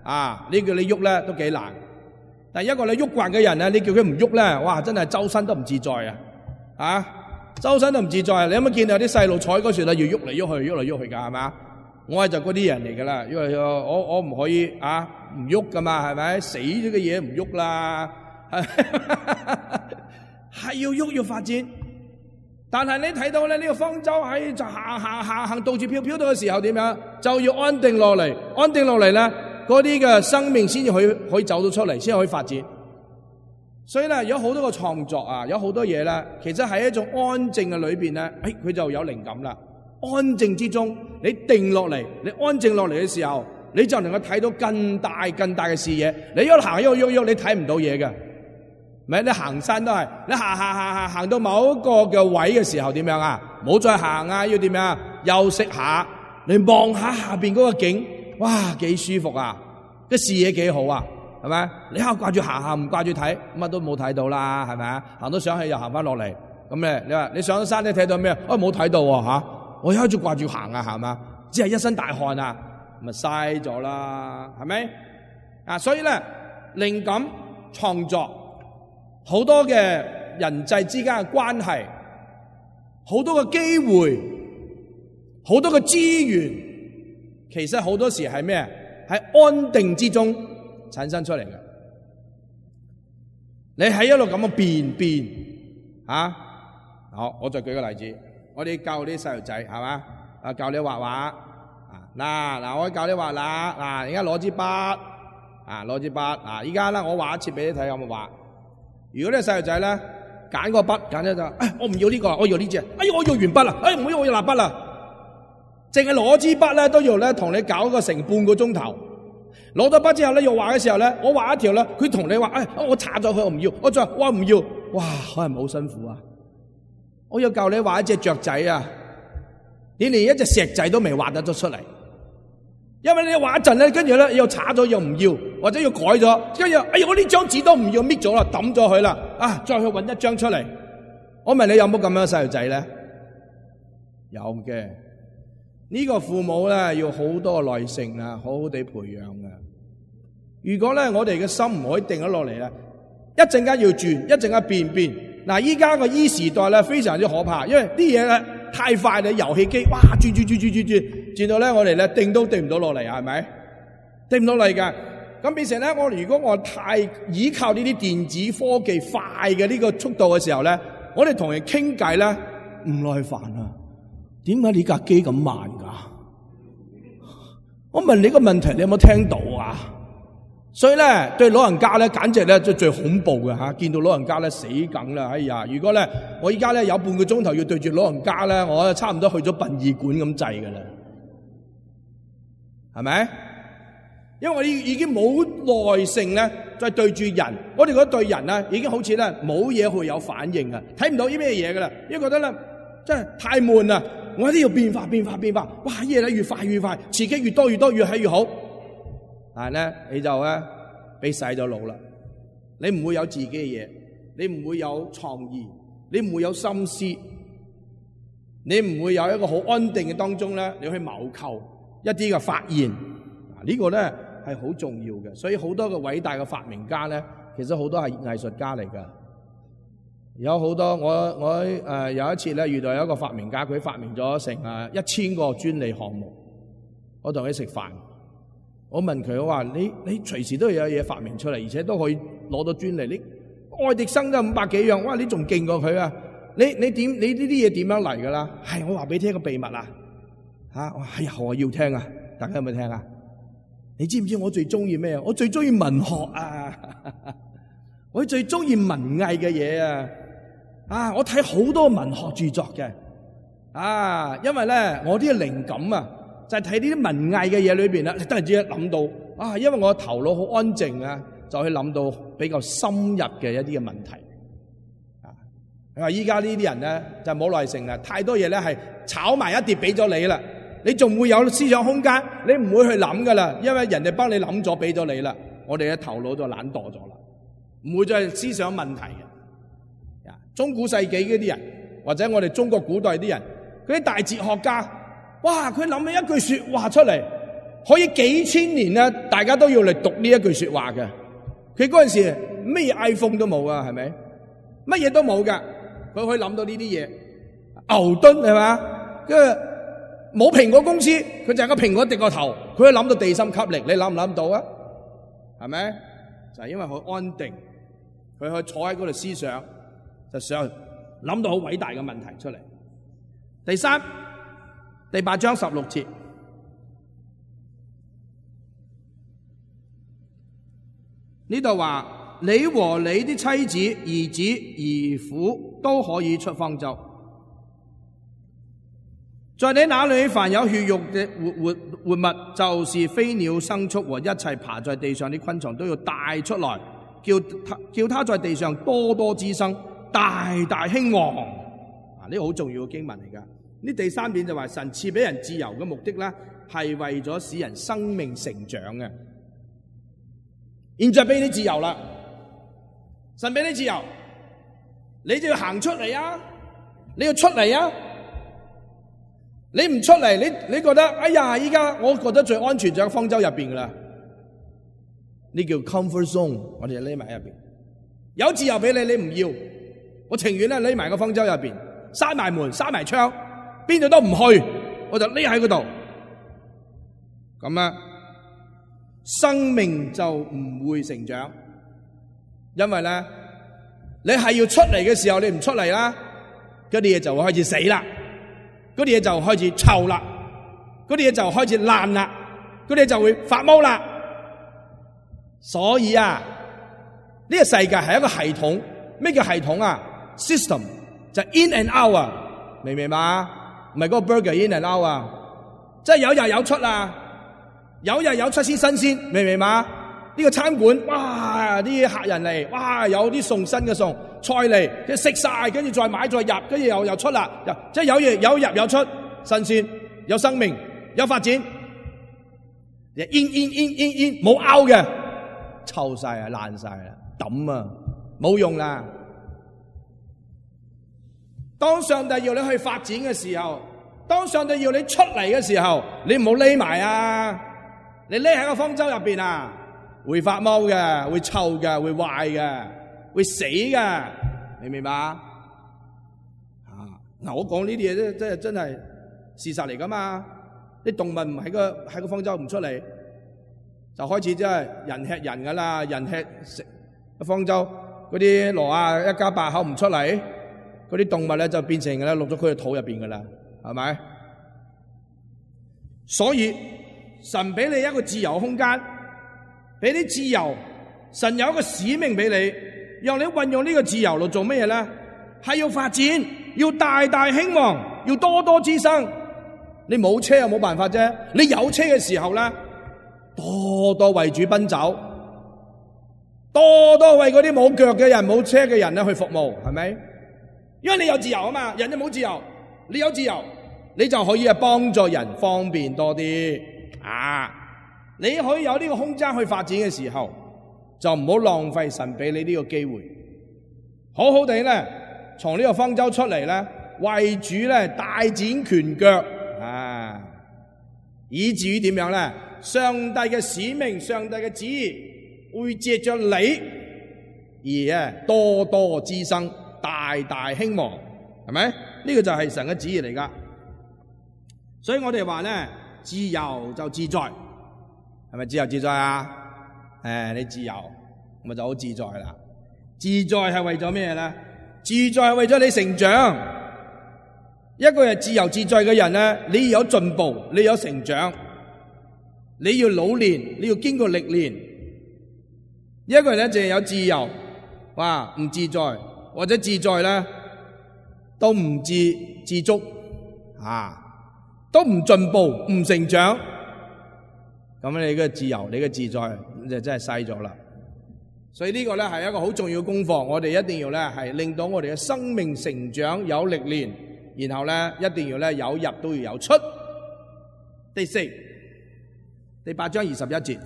啊呢叫你喐咧都幾難。但係一個你喐慣嘅人咧，你叫佢唔喐咧，哇，真係周身都唔自在啊！啊，周身都唔自在啊！你有冇見到有啲細路坐嗰時咧，要喐嚟喐去，喐嚟喐去㗎，係嘛？我係就嗰啲人嚟㗎啦，因為我我唔可以啊唔喐㗎嘛，係咪？死咗嘅嘢唔喐啦，係要喐要發展。但係你睇到咧，呢個方舟喺就行行行行到處飄飄到嘅時候點樣？就要安定落嚟，安定落嚟咧，嗰啲嘅生命先至可以可以走到出嚟，先可以發展。所以咧，有好多個創作啊，有好多嘢咧，其實喺一種安靜嘅裏邊咧，誒，佢就有靈感啦。安靜之中，你定落嚟，你安靜落嚟嘅時候，你就能夠睇到更大更大嘅視野。你一行一喐喐喐，你睇唔到嘢嘅。咪你行山都係，你行行行行行到某一個嘅位嘅時候點樣啊？唔好再行啊，要點樣啊？休息下，你望下下邊嗰個景，哇，幾舒服啊！個視野幾好啊，係咪？你喺度掛住行行，唔掛住睇，乜都冇睇到啦，係咪啊？行到上去又行翻落嚟，咁咧你話你上咗山你睇到咩？啊，冇睇到喎嚇！我一直掛住行啊，係嘛？只係一身大汗啊，咪嘥咗啦，係咪？啊，所以咧靈感創作。好多嘅人際之間嘅關係，好多嘅機會，好多嘅資源，其實好多時係咩？喺安定之中產生出嚟嘅。你喺一路咁樣變變啊！好，我再舉個例子，我哋教啲細路仔係嘛？啊，教你畫畫啊！嗱嗱，我教你畫啦！嗱，而家攞支筆啊，攞支筆啊！依家咧，我畫一次俾你睇，有冇畫？如果呢個細路仔咧揀個筆，揀咗就，哎，我唔要呢個，我要呢隻，哎，我要鉛筆啦，哎，唔好，我要蠟筆啦，淨係攞支筆咧都要咧同你搞個成半個鐘頭。攞咗筆之後咧，要畫嘅時候咧，我畫一條咧，佢同你話，哎，我擦咗佢，我唔要，我再話，我唔要，哇，可能好辛苦啊！我要教你畫一隻雀仔啊，你連一隻石仔都未畫得咗出嚟。因為你畫一陣咧，跟住咧又擦咗又唔要，或者要改咗，跟住哎呀我呢張紙都唔要，搣咗啦，抌咗佢啦，啊再去搵一張出嚟。我問你有冇咁樣嘅細路仔咧？有嘅，呢個父母咧要好多耐性啊，好好地培養啊。如果咧我哋嘅心唔可以定咗落嚟咧，一陣間要轉，一陣間變變。嗱，依家個 E 時代咧非常之可怕，因為啲嘢咧太快啦，遊戲機哇轉轉轉轉轉轉，轉到咧我哋咧定都定唔到落嚟啊，係咪？定唔到嚟噶，咁變成咧我如果我太依靠呢啲電子科技快嘅呢個速度嘅時候咧，我哋同人傾偈咧唔耐煩啊！點解你架機咁慢噶？我問你個問題，你有冇聽到啊？所以咧，對老人家咧，簡直咧最最恐怖嘅吓，見到老人家咧死梗啦！哎呀，如果咧我依家咧有半個鐘頭要對住老人家咧，我差唔多去咗殯儀館咁滯噶啦，係咪？因為我已已經冇耐性咧，再對住人，我哋嗰對人咧已經好似咧冇嘢會有反應啊，睇唔到啲咩嘢噶啦，因為覺得咧真係太悶啦，我一定要變化變化變化，哇！嘢咧越快越快，刺激越多越多，越係越好。但係咧，你就咧俾洗咗腦啦。你唔會有自己嘅嘢，你唔會有創意，你唔會有心思，你唔會有一個好安定嘅當中咧，你去謀求一啲嘅發現。嗱，呢個咧係好重要嘅。所以好多嘅偉大嘅發明家咧，其實好多係藝術家嚟噶。有好多我我誒、呃、有一次咧遇到有一個發明家，佢發明咗成誒一千個專利項目。我同佢食飯。我問佢，我話你你隨時都有嘢發明出嚟，而且都可以攞到專利。你愛迪生都五百幾樣，哇！你仲勁過佢啊？你你點你呢啲嘢點樣嚟噶啦？係我話俾你聽個秘密啊！吓，我係啊，我要聽啊！大家有冇聽啊？你知唔知我最中意咩啊？我最中意文學啊！我最中意文藝嘅嘢啊！啊，我睇好多文學著作嘅啊，因為咧我啲靈感啊。就係睇呢啲文藝嘅嘢裏邊啦，你突然之間諗到啊，因為我頭腦好安靜啊，就去諗到比較深入嘅一啲嘅問題啊。你話依家呢啲人咧就冇耐性啦，太多嘢咧係炒埋一碟俾咗你啦，你仲會有思想空間？你唔會去諗噶啦，因為人哋幫你諗咗俾咗你啦。我哋嘅頭腦就懶惰咗啦，唔會再係思想問題嘅。中古世紀嗰啲人，或者我哋中國古代啲人，嗰啲大哲學家。哇！佢諗起一句說話出嚟，可以幾千年咧，大家都要嚟讀呢一句說話嘅。佢嗰陣時咩 iPhone 都冇啊，係咪？乜嘢都冇噶，佢可以諗到呢啲嘢。牛頓係嘛？跟住冇蘋果公司，佢就係個蘋果跌個頭，佢可以諗到地心吸力，你諗唔諗到啊？係咪？就係因為佢安定，佢可以坐喺嗰度思想，就想諗到好偉大嘅問題出嚟。第三，第八章十六節，呢度話你和你的妻子、兒子、兒婦都可以出方舟。在你那裏凡有血肉嘅活活活物，就是飛鳥、牲畜和一切爬在地上的昆蟲，都要帶出來，叫他叫他在地上多多滋生，大大興旺。啊，呢個好重要嘅經文嚟噶。呢第三點就話神賜俾人自由嘅目的咧，係為咗使人生命成長嘅。現在俾你自由啦，神俾你自由，你就要行出嚟啊！你要出嚟啊！你唔出嚟，你你覺得哎呀，依家我覺得最安全就喺方舟入邊噶啦，呢叫 comfort zone， 我哋就匿埋喺入邊。有自由俾你，你唔要，我情願咧匿埋個方舟入邊，閂埋門，閂埋窗，邊度都唔去，我就匿喺嗰度。咁啊，生命就唔會成長，因為咧，你係要出嚟嘅時候，你唔出嚟啦，嗰啲嘢就會開始死啦。嗰啲嘢就開始臭啦，嗰啲嘢就開始爛啦，嗰啲嘢就會發毛啦。所以啊，呢個世界係一個系統。咩叫系統啊 ？System 就 in and out 啊，明唔明白？唔係嗰個 burger in and out 啊，即係有入有出啊，有入有出先新鮮，明唔明白？呢個餐館，哇！啲客人嚟，哇！有啲餸新嘅餸菜嚟，佢食晒，跟住再買再入，跟住又又出啦，即係有嘢有入有出，新鮮有生命有發展。in in in in in 冇拗嘅，臭晒啊爛晒啦，抌啊冇用啦。當上帝要你去發展嘅時候，當上帝要你出嚟嘅時候，你唔好匿埋啊！你匿喺個方舟入邊啊！會發毛嘅，會臭嘅，會壞嘅，會死嘅，明唔明白啊？嗱，我講呢啲嘢咧，真係真係事實嚟噶嘛？啲動物唔喺個喺個方舟唔出嚟，就開始真係人吃人噶啦，人吃食個方舟嗰啲挪亞一家八口唔出嚟，嗰啲動物咧就變成咧落咗佢嘅肚入邊噶啦，係咪？所以神俾你一個自由空間。俾啲自由，神有一個使命俾你，讓你運用呢個自由嚟做咩嘢咧？係要發展，要大大興旺，要多多滋生。你冇車又冇辦法啫，你有車嘅時候咧，多多為主奔走，多多為嗰啲冇腳嘅人、冇車嘅人咧去服務，係咪？因為你有自由啊嘛，人就冇自由，你有自由，你就可以啊幫助人方便多啲啊。你可以有呢個空間去發展嘅時候，就唔好浪費神俾你呢個機會，好好地咧從呢個方舟出嚟咧，為主咧大展拳腳啊，以至於點樣咧？上帝嘅使命、上帝嘅旨意會借着你而啊多多滋生、大大興旺，係咪？呢個就係神嘅旨意嚟噶。所以我哋話咧，自由就自在。係咪自由自在啊？誒，你自由，咪就好自在啦。自在係為咗咩咧？自在係為咗你成長。一個人自由自在嘅人咧，你要有進步，你要有成長，你要老練，你要經過歷練。一個人咧淨係有自由，哇，唔自在，或者自在咧都唔自自足啊，都唔進步，唔成長。咁你嘅自由，你嘅自在就真係細咗啦。所以呢個咧係一個好重要嘅功課，我哋一定要咧係令到我哋嘅生命成長有歷練，然後咧一定要咧有入都要有出。第四，第八章二十一節，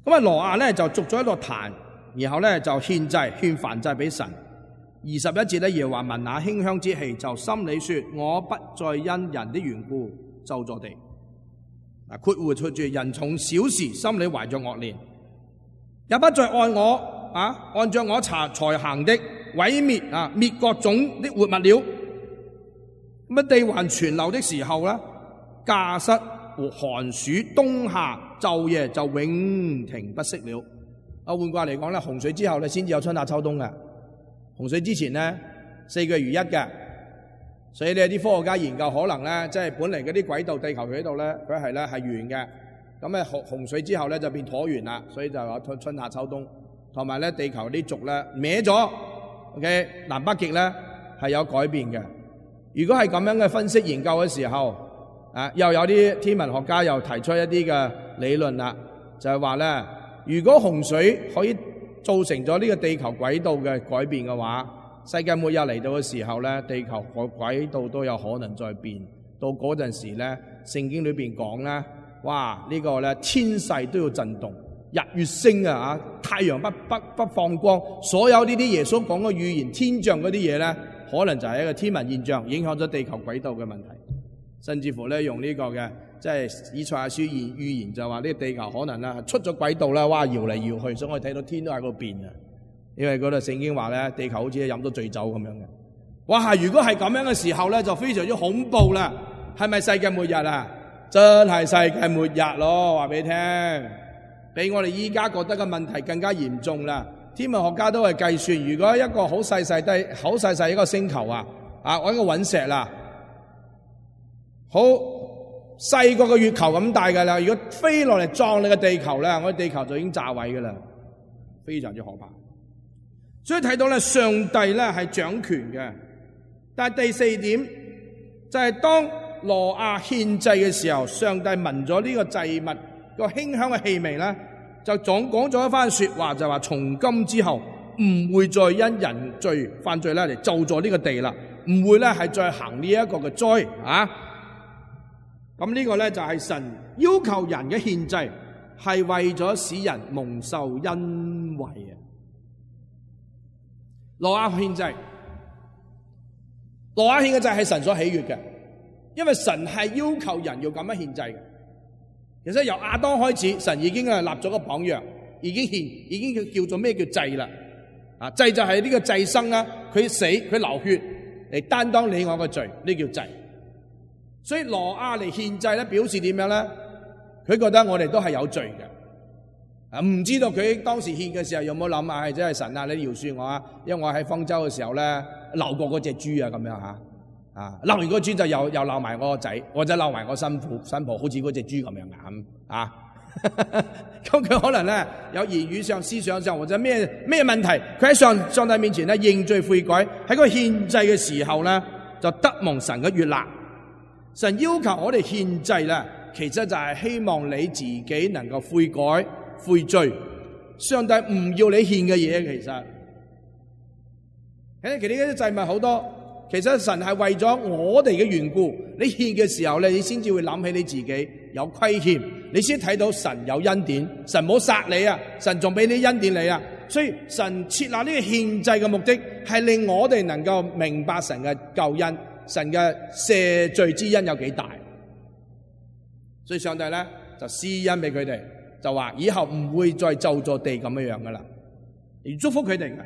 咁啊挪亞咧就築咗一個壇，然後咧就獻祭獻燔祭俾神。二十一節咧耶和華聞那馨香之氣，就心裏說：我不再因人的緣故咒詛地。啊，括弧出住人從小時心裏懷着惡念，也不再按我啊，按照我查才行的毀滅啊，滅各種的活物了。咁啊，地還存留的時候咧，稼穡和寒暑冬夏晝夜就永停不息了。啊，換句話嚟講咧，洪水之後咧先至有春夏秋冬嘅，洪水之前咧四個月如一嘅。所以呢啲科學家研究可能咧，即係本嚟嗰啲軌道地球佢喺度咧，佢係咧係圓嘅。咁咧洪洪水之後咧就變橢圓啦，所以就有春春夏秋冬，同埋咧地球啲軸咧歪咗。OK， 南北極咧係有改變嘅。如果係咁樣嘅分析研究嘅時候，啊又有啲天文學家又提出一啲嘅理論啦，就係話咧，如果洪水可以造成咗呢個地球軌道嘅改變嘅話，世界末日嚟到嘅時候咧，地球個軌道都有可能再變。到嗰陣時咧，聖經裏邊講咧，哇！呢個咧天勢都要震動，日月星啊，太陽不不不放光，所有呢啲耶穌講嘅預言天象嗰啲嘢咧，可能就係一個天文現象，影響咗地球軌道嘅問題。甚至乎咧用呢個嘅，即係以賽亞書預預言就話呢個地球可能咧出咗軌道啦，哇！搖嚟搖去，所以我哋睇到天都喺度變啊！因為嗰度聖經話咧，地球好似飲咗醉酒咁樣嘅。哇！如果係咁樣嘅時候咧，就非常之恐怖啦。係咪世界末日啊？真係世界末日咯！話俾你聽，比我哋依家覺得嘅問題更加嚴重啦。天文學家都係計算，如果一個好細細低、好細細一個星球啊，啊，搵個隕石啦，好細個個月球咁大噶啦，如果飛落嚟撞你個地球咧，我哋地球就已經炸毀噶啦，非常之可怕。所以睇到咧，上帝咧係掌權嘅。但係第四點就係、是、當挪亞獻祭嘅時候，上帝聞咗呢個祭物個馨香嘅氣味咧，就總講咗一番說話，就話從今之後唔會再因人罪犯罪咧嚟咒詛呢個地啦，唔會咧係再行呢一個嘅災啊。咁呢個咧就係神要求人嘅獻祭係為咗使人蒙受恩惠啊。挪亞獻祭，挪亞獻嘅祭係神所喜悅嘅，因為神係要求人要咁樣獻祭嘅。其實由亞當開始，神已經係立咗個榜樣，已經獻，已經叫叫做咩叫祭啦？啊，祭就係呢個祭牲啦，佢死佢流血嚟擔當你我嘅罪，呢叫祭。所以挪亞嚟獻祭咧，表示點樣咧？佢覺得我哋都係有罪嘅。啊，唔知道佢當時獻嘅時候有冇諗啊？係真係神啊！你饒恕我啊！因為我喺方舟嘅時候咧，鬧過嗰隻豬啊，咁樣吓啊！鬧完嗰豬就又又鬧埋我個仔，或者鬧埋我新婦新抱，好似嗰隻豬咁樣咁啊！咁佢可能咧有言語上、思想上或者咩咩問題，佢喺上上帝面前咧認罪悔改，喺個獻祭嘅時候咧就得蒙神嘅悅納。神要求我哋獻祭咧，其實就係希望你自己能夠悔改。悔罪，上帝唔要你獻嘅嘢，其實，誒，其實呢啲祭物好多，其實神係為咗我哋嘅緣故，你獻嘅時候咧，你先至會諗起你自己有虧欠，你先睇到神有恩典，神冇殺你啊，神仲俾你恩典你啊，所以神設立呢個獻祭嘅目的，係令我哋能夠明白神嘅救恩，神嘅赦罪之恩有幾大，所以上帝咧就施恩俾佢哋。就話以後唔會再咒詛地咁樣樣噶啦，而祝福佢哋嘅。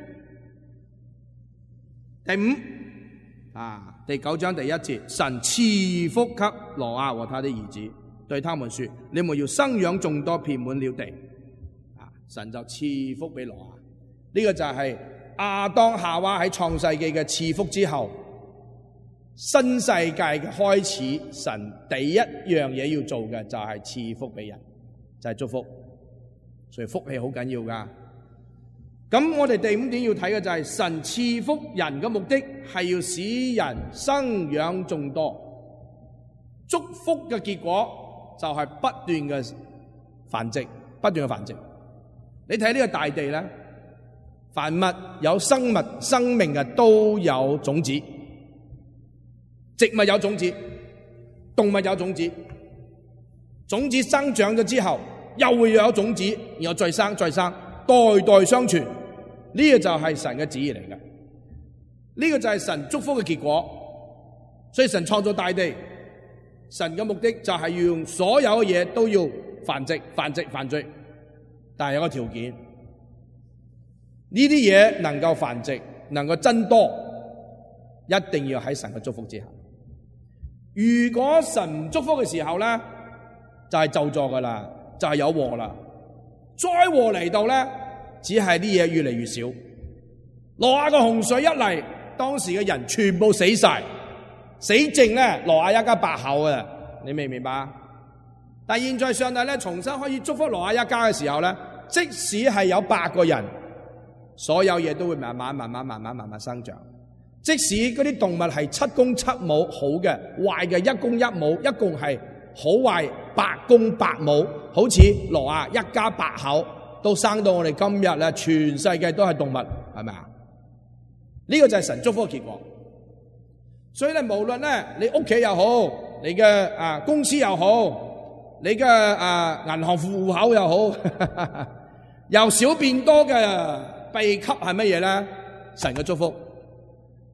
第五啊，第九章第一節，神賜福給挪亞和他的兒子，對他們說：你們要生養眾多，遍滿了地。啊，神就賜福俾挪亞。呢、這個就係亞當夏娃喺創世紀嘅賜福之後，新世界嘅開始，神第一樣嘢要做嘅就係賜福俾人。就係祝福，所以福氣好緊要噶。咁我哋第五點要睇嘅就係神賜福人嘅目的係要使人生養眾多，祝福嘅結果就係不斷嘅繁殖，不斷嘅繁殖。你睇呢個大地咧，凡物有生物生命嘅都有種子，植物有種子，動物有種子。種子生長咗之後，又會有種子，然後再生再生，代代相傳。呢、這個就係神嘅旨意嚟嘅，呢、這個就係神祝福嘅結果。所以神創造大地，神嘅目的就係要用所有嘅嘢都要繁殖、繁殖、繁殖，但係有個條件，呢啲嘢能夠繁殖、能夠增多，一定要喺神嘅祝福之下。如果神唔祝福嘅時候咧，就係咒詛噶啦，就係有禍啦。災禍嚟到咧，只係啲嘢越嚟越少。挪亞個洪水一嚟，當時嘅人全部死晒，死剩咧挪亞一家八口啊！你明唔明白？但係現在上帝咧重新可以祝福挪亞一家嘅時候咧，即使係有八個人，所有嘢都會慢慢、慢慢、慢慢、慢慢生長。即使嗰啲動物係七公七母，好嘅、壞嘅一公一母，一共係好壞八公八母，好似挪亞一家八口都生到我哋今日咧，全世界都係動物，係咪啊？呢個就係神祝福嘅結果。所以咧，無論咧你屋企又好，你嘅啊公司又好，你嘅啊銀行戶口又好，由少變多嘅秘笈係乜嘢咧？神嘅祝福。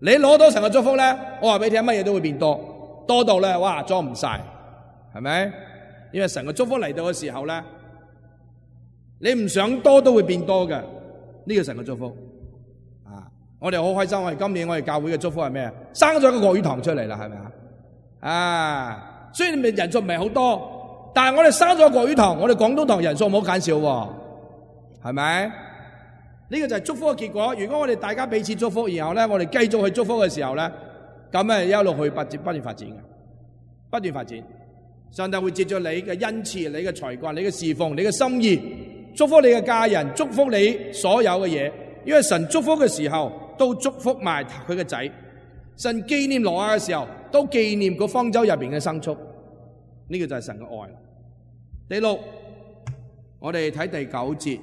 你攞到神嘅祝福咧，我話俾你聽，乜嘢都會變多，多到咧哇裝唔晒，係咪？因為神嘅祝福嚟到嘅時候咧，你唔想多都會變多嘅，呢個神嘅祝福啊！我哋好開心，我哋今年我哋教會嘅祝福係咩？生咗個國語堂出嚟啦，係咪啊？啊，雖然人數唔係好多，但係我哋生咗個國語堂，我哋廣東堂人數唔好減少喎，係咪？呢個就係祝福嘅結果。如果我哋大家彼此祝福，然後咧我哋繼續去祝福嘅時候咧，咁咧一路去不斷不斷發展嘅，不斷發展。上帝會藉著你嘅恩賜、你嘅才幹、你嘅侍奉、你嘅心意，祝福你嘅家人，祝福你所有嘅嘢。因為神祝福嘅時候，都祝福埋佢嘅仔。神紀念挪亞嘅時候，都紀念個方舟入邊嘅牲畜。呢個就係神嘅愛。第六，我哋睇第九節。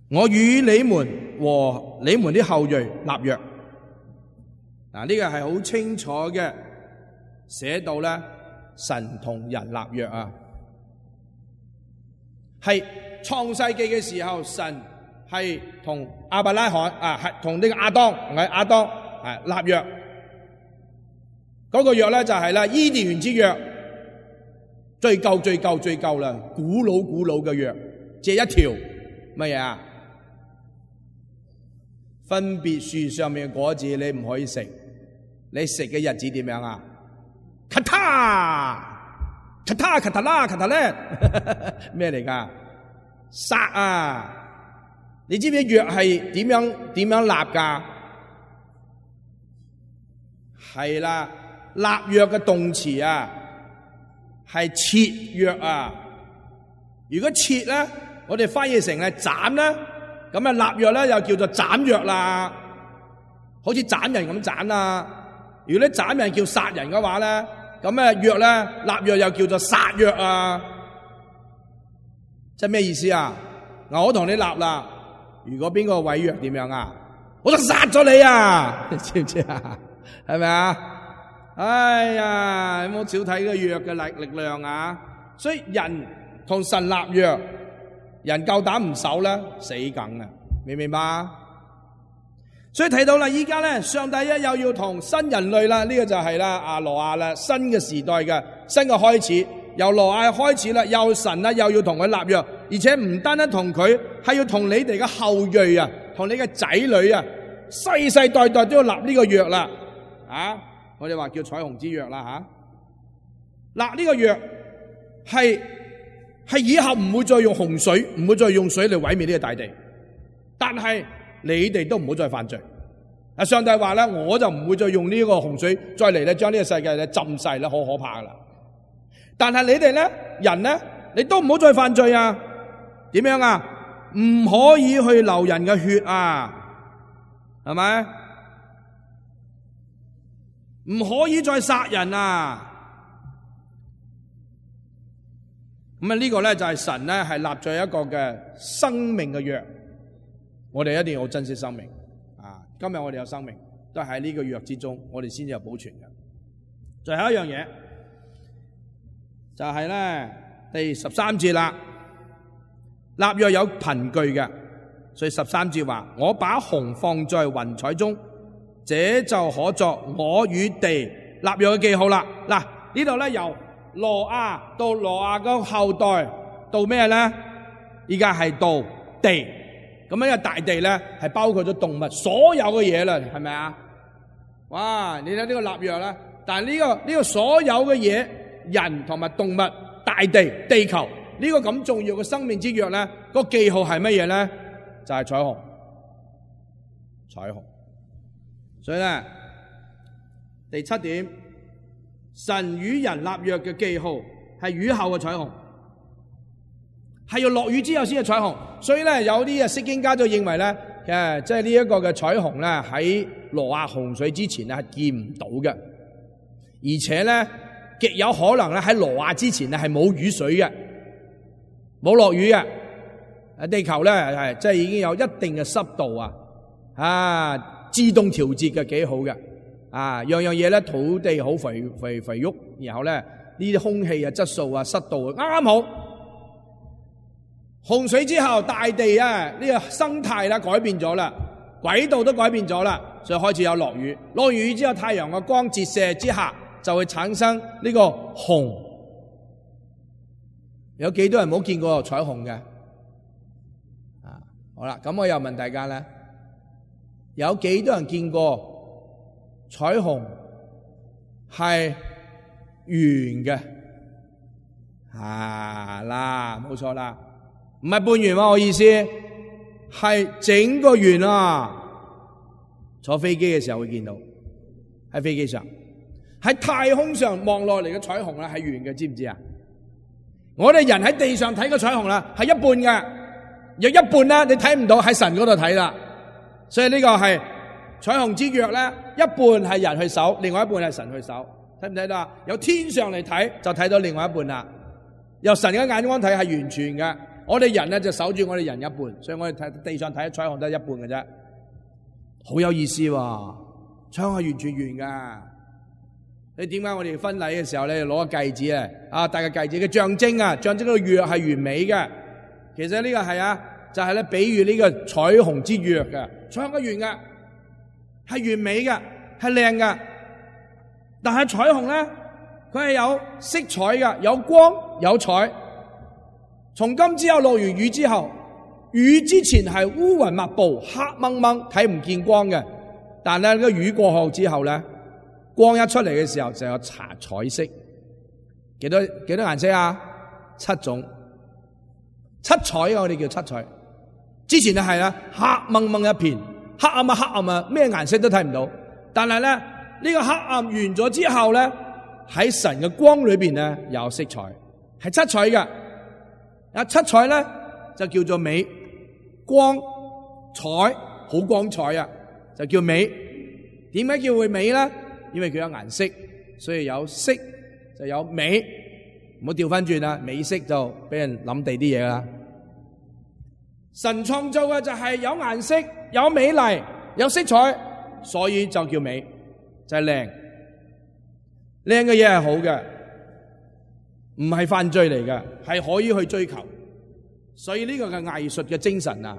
我與你們和你們的後裔立約。嗱，呢個係好清楚嘅，寫到咧神同人立約啊。係創世記嘅時候，神係同亞伯拉罕啊，係同呢個亞當，唔係亞當係立約。嗰個約咧就係啦，伊甸園之約，最舊最舊最舊啦，古老古老嘅約，借一條乜嘢啊？分別樹上面嘅果子你唔可以食，你食嘅日子點樣啊？咔嗒咔嗒咔嗒啦咔嗒咧，咩嚟噶？殺啊！你知唔知約係點樣點樣立噶？係啦，立約嘅動詞啊，係切約啊。如果切咧，我哋翻譯成係斬咧。咁啊，立約咧又叫做斬約啦，好似斬人咁斬啦。如果你斬人叫殺人嘅話咧，咁啊約咧立約又叫做殺約啊。即係咩意思啊？嗱，我同你立啦，如果邊個違約點樣啊？我就殺咗你啊！你知唔知啊？係咪啊？哎呀，有冇少睇個約嘅力力量啊？所以人同神立約。人夠膽唔守咧，死梗啊！明唔明白？所以睇到啦，依家咧，上帝一又要同新人類啦，呢、這個就係啦，阿挪亞啦，新嘅時代嘅新嘅開始，由挪亞開始啦，又神啦，又要同佢立約，而且唔單單同佢，係要同你哋嘅後裔啊，同你嘅仔女啊，世世代代都要立呢個約啦。啊，我哋話叫彩虹之約啦，吓、啊，立呢個約係。係以後唔會再用洪水，唔會再用水嚟毀滅呢個大地。但係你哋都唔好再犯罪。啊，上帝話咧，我就唔會再用呢個洪水再嚟咧，將呢個世界咧浸晒啦，好可怕噶啦。但係你哋咧，人咧，你都唔好再犯罪啊！點樣啊？唔可以去流人嘅血啊，係咪？唔可以再殺人啊！咁啊，呢個咧就係神咧係立咗一個嘅生命嘅約，我哋一定要好珍惜生命啊！今日我哋有生命，都係喺呢個約之中，我哋先至有保存嘅。最後一樣嘢就係咧第十三節啦，立約有憑據嘅，所以十三節話：我把虹放在雲彩中，這就可作我與地立約嘅記號啦。嗱，呢度咧由挪亞到挪亞嘅後代到咩咧？依家係到地，咁樣嘅大地咧係包括咗動物所有嘅嘢啦，係咪啊？哇！你睇呢個立約啦，但係呢個呢個所有嘅嘢，人同埋動物、大地、地球呢個咁重要嘅生命之約咧，個記號係乜嘢咧？就係彩虹，彩虹。所以咧，第七點，神與人立約嘅記號係雨後嘅彩虹，係要落雨之後先係彩虹。所以咧，有啲啊釋經家就認為咧，誒，即係呢一個嘅彩虹咧，喺挪亞洪水之前咧係見唔到嘅，而且咧極有可能咧喺挪亞之前咧係冇雨水嘅，冇落雨嘅。誒，地球咧係即係已經有一定嘅濕度啊，啊，自動調節嘅幾好嘅，啊，樣樣嘢咧土地好肥肥肥沃，然後咧呢啲空氣啊質素啊濕度啱啱好。洪水之後，大地啊呢個生態啦改變咗啦，軌道都改變咗啦，所以開始有落雨。落完雨之後，太陽嘅光折射之下，就會產生呢個虹。有幾多人冇見過彩虹嘅？啊，好啦，咁我又問大家咧，有幾多人見過彩虹係圓嘅？啊啦，冇錯啦。唔係半圓喎，我意思係整個圓啊！坐飛機嘅時候會見到，喺飛機上，喺太空上望落嚟嘅彩虹啦，係圓嘅，知唔知啊？我哋人喺地上睇嘅彩虹啦，係一半嘅，有一半啦，你睇唔到，喺神嗰度睇啦。所以呢個係彩虹之約咧，一半係人去守，另外一半係神去守，睇唔睇到啊？由天上嚟睇就睇到另外一半啦。由神嘅眼光睇係完全嘅。我哋人咧就守住我哋人一半，所以我哋睇地上睇彩虹都係一半嘅啫，好有意思喎！彩虹係完全圓噶。你點解我哋婚禮嘅時候咧攞個戒指啊？啊，戴個戒指嘅象徵啊，象徵個約係完美嘅。其實呢個係啊，就係咧比喻呢個彩虹之約嘅。彩虹係圓嘅，係完美嘅，係靚嘅。但係彩虹咧，佢係有色彩嘅，有光有彩。從今之後落完雨之後，雨之前係烏雲密布，黑掹掹，睇唔見光嘅。但係咧，個雨過後之後咧，光一出嚟嘅時候就有茶彩色。幾多幾多顏色啊？七種，七彩啊！我哋叫七彩。之前就係啦，黑掹掹一片，黑暗啊黑暗啊，咩顏色都睇唔到。但係咧，呢個黑暗完咗之後咧，喺神嘅光裏邊咧有色彩，係七彩嘅。啊，七彩咧就叫做美，光彩好光彩啊，就叫美。點解叫會美咧？因為佢有顏色，所以有色就有美。唔好調翻轉啦，美色就俾人諗地啲嘢啦。神創造嘅就係有顏色、有美麗、有色彩，所以就叫美，就係靚。靚嘅嘢係好嘅。唔係犯罪嚟嘅，係可以去追求。所以呢個嘅藝術嘅精神啊，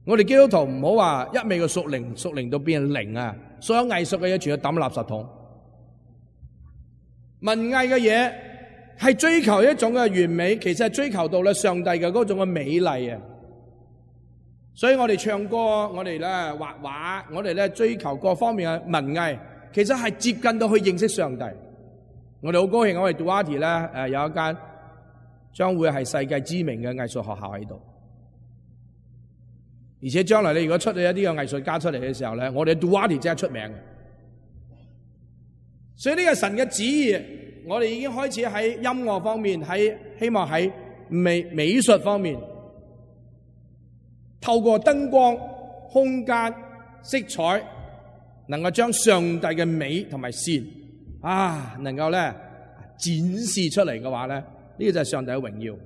我哋基督徒唔好話一味嘅屬靈，屬靈到變零啊！所有藝術嘅嘢全部抌垃圾桶。文藝嘅嘢係追求一種嘅完美，其實係追求到咧上帝嘅嗰種嘅美麗啊！所以我哋唱歌，我哋咧畫畫，我哋咧追求各方面嘅文藝，其實係接近到去認識上帝。我哋好高興，我哋 Duarte 咧誒有一間將會係世界知名嘅藝術學校喺度，而且將來你如果出咗一啲嘅藝術家出嚟嘅時候咧，我哋 Duarte 真係出名嘅。所以呢個神嘅旨意，我哋已經開始喺音樂方面，喺希望喺美美術方面，透過燈光、空間、色彩，能夠將上帝嘅美同埋善。啊，能夠咧展示出嚟嘅話咧，呢、這個就係上帝嘅榮耀。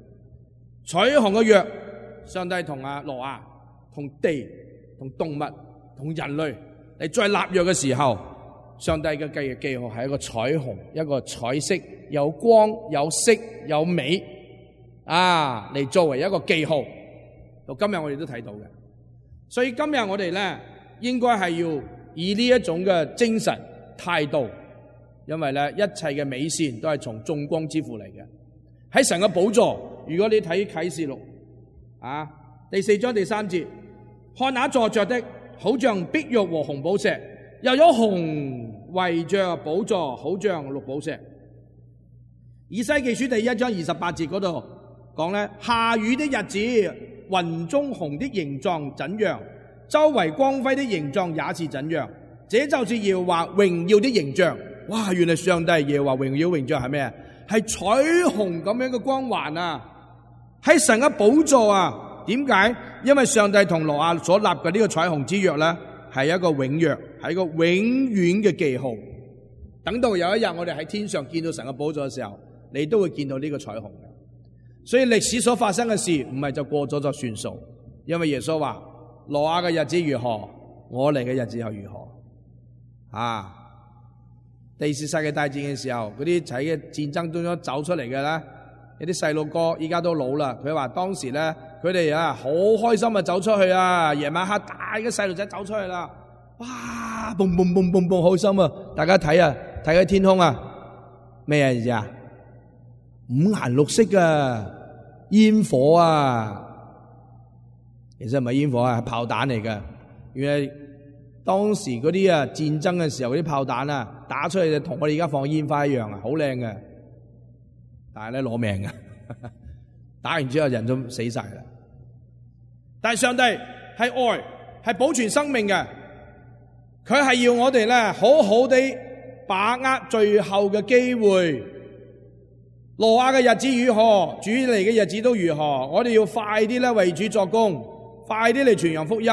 彩虹嘅約，上帝同阿挪亞、同地、同動物、同人類，你再立約嘅時候，上帝嘅記記號係一個彩虹，一個彩色，有光、有色、有美，啊，嚟作為一個記號。到今日我哋都睇到嘅，所以今日我哋咧應該係要以呢一種嘅精神態度。因為咧一切嘅美善都係從眾光之父嚟嘅。喺神嘅寶座，如果你睇啟示錄啊第四章第三節，看那坐着的好像碧玉和紅寶石，又有紅圍着寶座，好像綠寶石。以西結書第一章二十八節嗰度講咧，下雨的日子，雲中紅的形狀怎樣，周圍光輝的形狀也是怎樣。這就是耶和華榮耀的形象。哇！原來上帝耶和華榮耀形象係咩啊？係彩虹咁樣嘅光環啊！喺神嘅寶座啊！點解？因為上帝同挪亞所立嘅呢個彩虹之約咧，係一個永約，係一個永遠嘅記號。等到有一日我哋喺天上見到神嘅寶座嘅時候，你都會見到呢個彩虹嘅。所以歷史所發生嘅事唔係就過咗就算數，因為耶穌話：挪亞嘅日子如何，我嚟嘅日子又如何。啊！第二次世界大戰嘅時候，嗰啲喺嘅戰爭當中走出嚟嘅咧，有啲細路哥依家都老啦。佢話當時咧，佢哋啊好開心啊走出去啊，夜晚黑大嘅細路仔走出去啦，哇！嘣嘣嘣嘣嘣，好心啊！大家睇啊，睇下天空啊，咩嘢啊？五顏六色嘅煙火啊！其實唔係煙火啊，係炮彈嚟嘅。原來當時嗰啲啊戰爭嘅時候嗰啲炮彈啊打出去就同我哋而家放煙花一樣啊，好靚嘅，但係咧攞命嘅，打完之後人都死晒啦。但係上帝係愛，係保存生命嘅，佢係要我哋咧好好地把握最後嘅機會。挪亞嘅日子如何，主嚟嘅日子都如何。我哋要快啲咧為主作工，快啲嚟傳揚福音。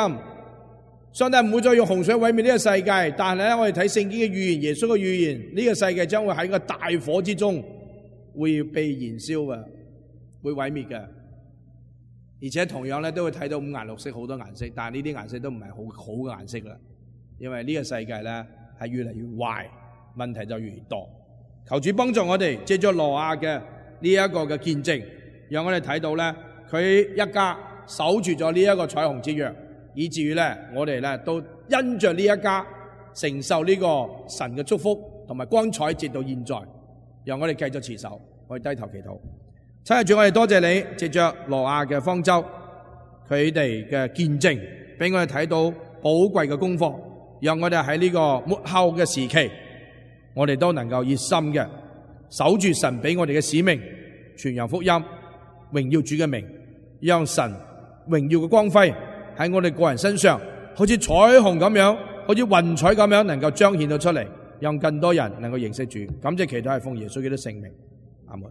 上帝唔會再用洪水毀滅呢個世界，但係咧我哋睇聖經嘅預言，耶穌嘅預言，呢個世界將會喺個大火之中會被燃燒嘅，會毀滅嘅。而且同樣咧都會睇到五顏六色好多顏色，但係呢啲顏色都唔係好好嘅顏色啦，因為呢個世界咧係越嚟越壞，問題就越嚟越多。求主幫助我哋，借咗挪亞嘅呢一個嘅見證，讓我哋睇到咧佢一家守住咗呢一個彩虹之約，以至於咧我哋咧都因着呢一家承受呢個神嘅祝福同埋光彩，直到現在。讓我哋繼續持守，我哋低頭祈禱。親愛的主，我哋多謝你，借着挪亞嘅方舟，佢哋嘅見證，俾我哋睇到寶貴嘅功課，讓我哋喺呢個末後嘅時期，我哋都能夠熱心嘅守住神俾我哋嘅使命，傳揚福音，榮耀主嘅名，讓神榮耀嘅光輝喺我哋個人身上，好似彩虹咁樣，好似雲彩咁樣，能夠彰顯到出嚟，讓更多人能夠認識主。感謝祈禱係奉耶穌基督聖名，阿門。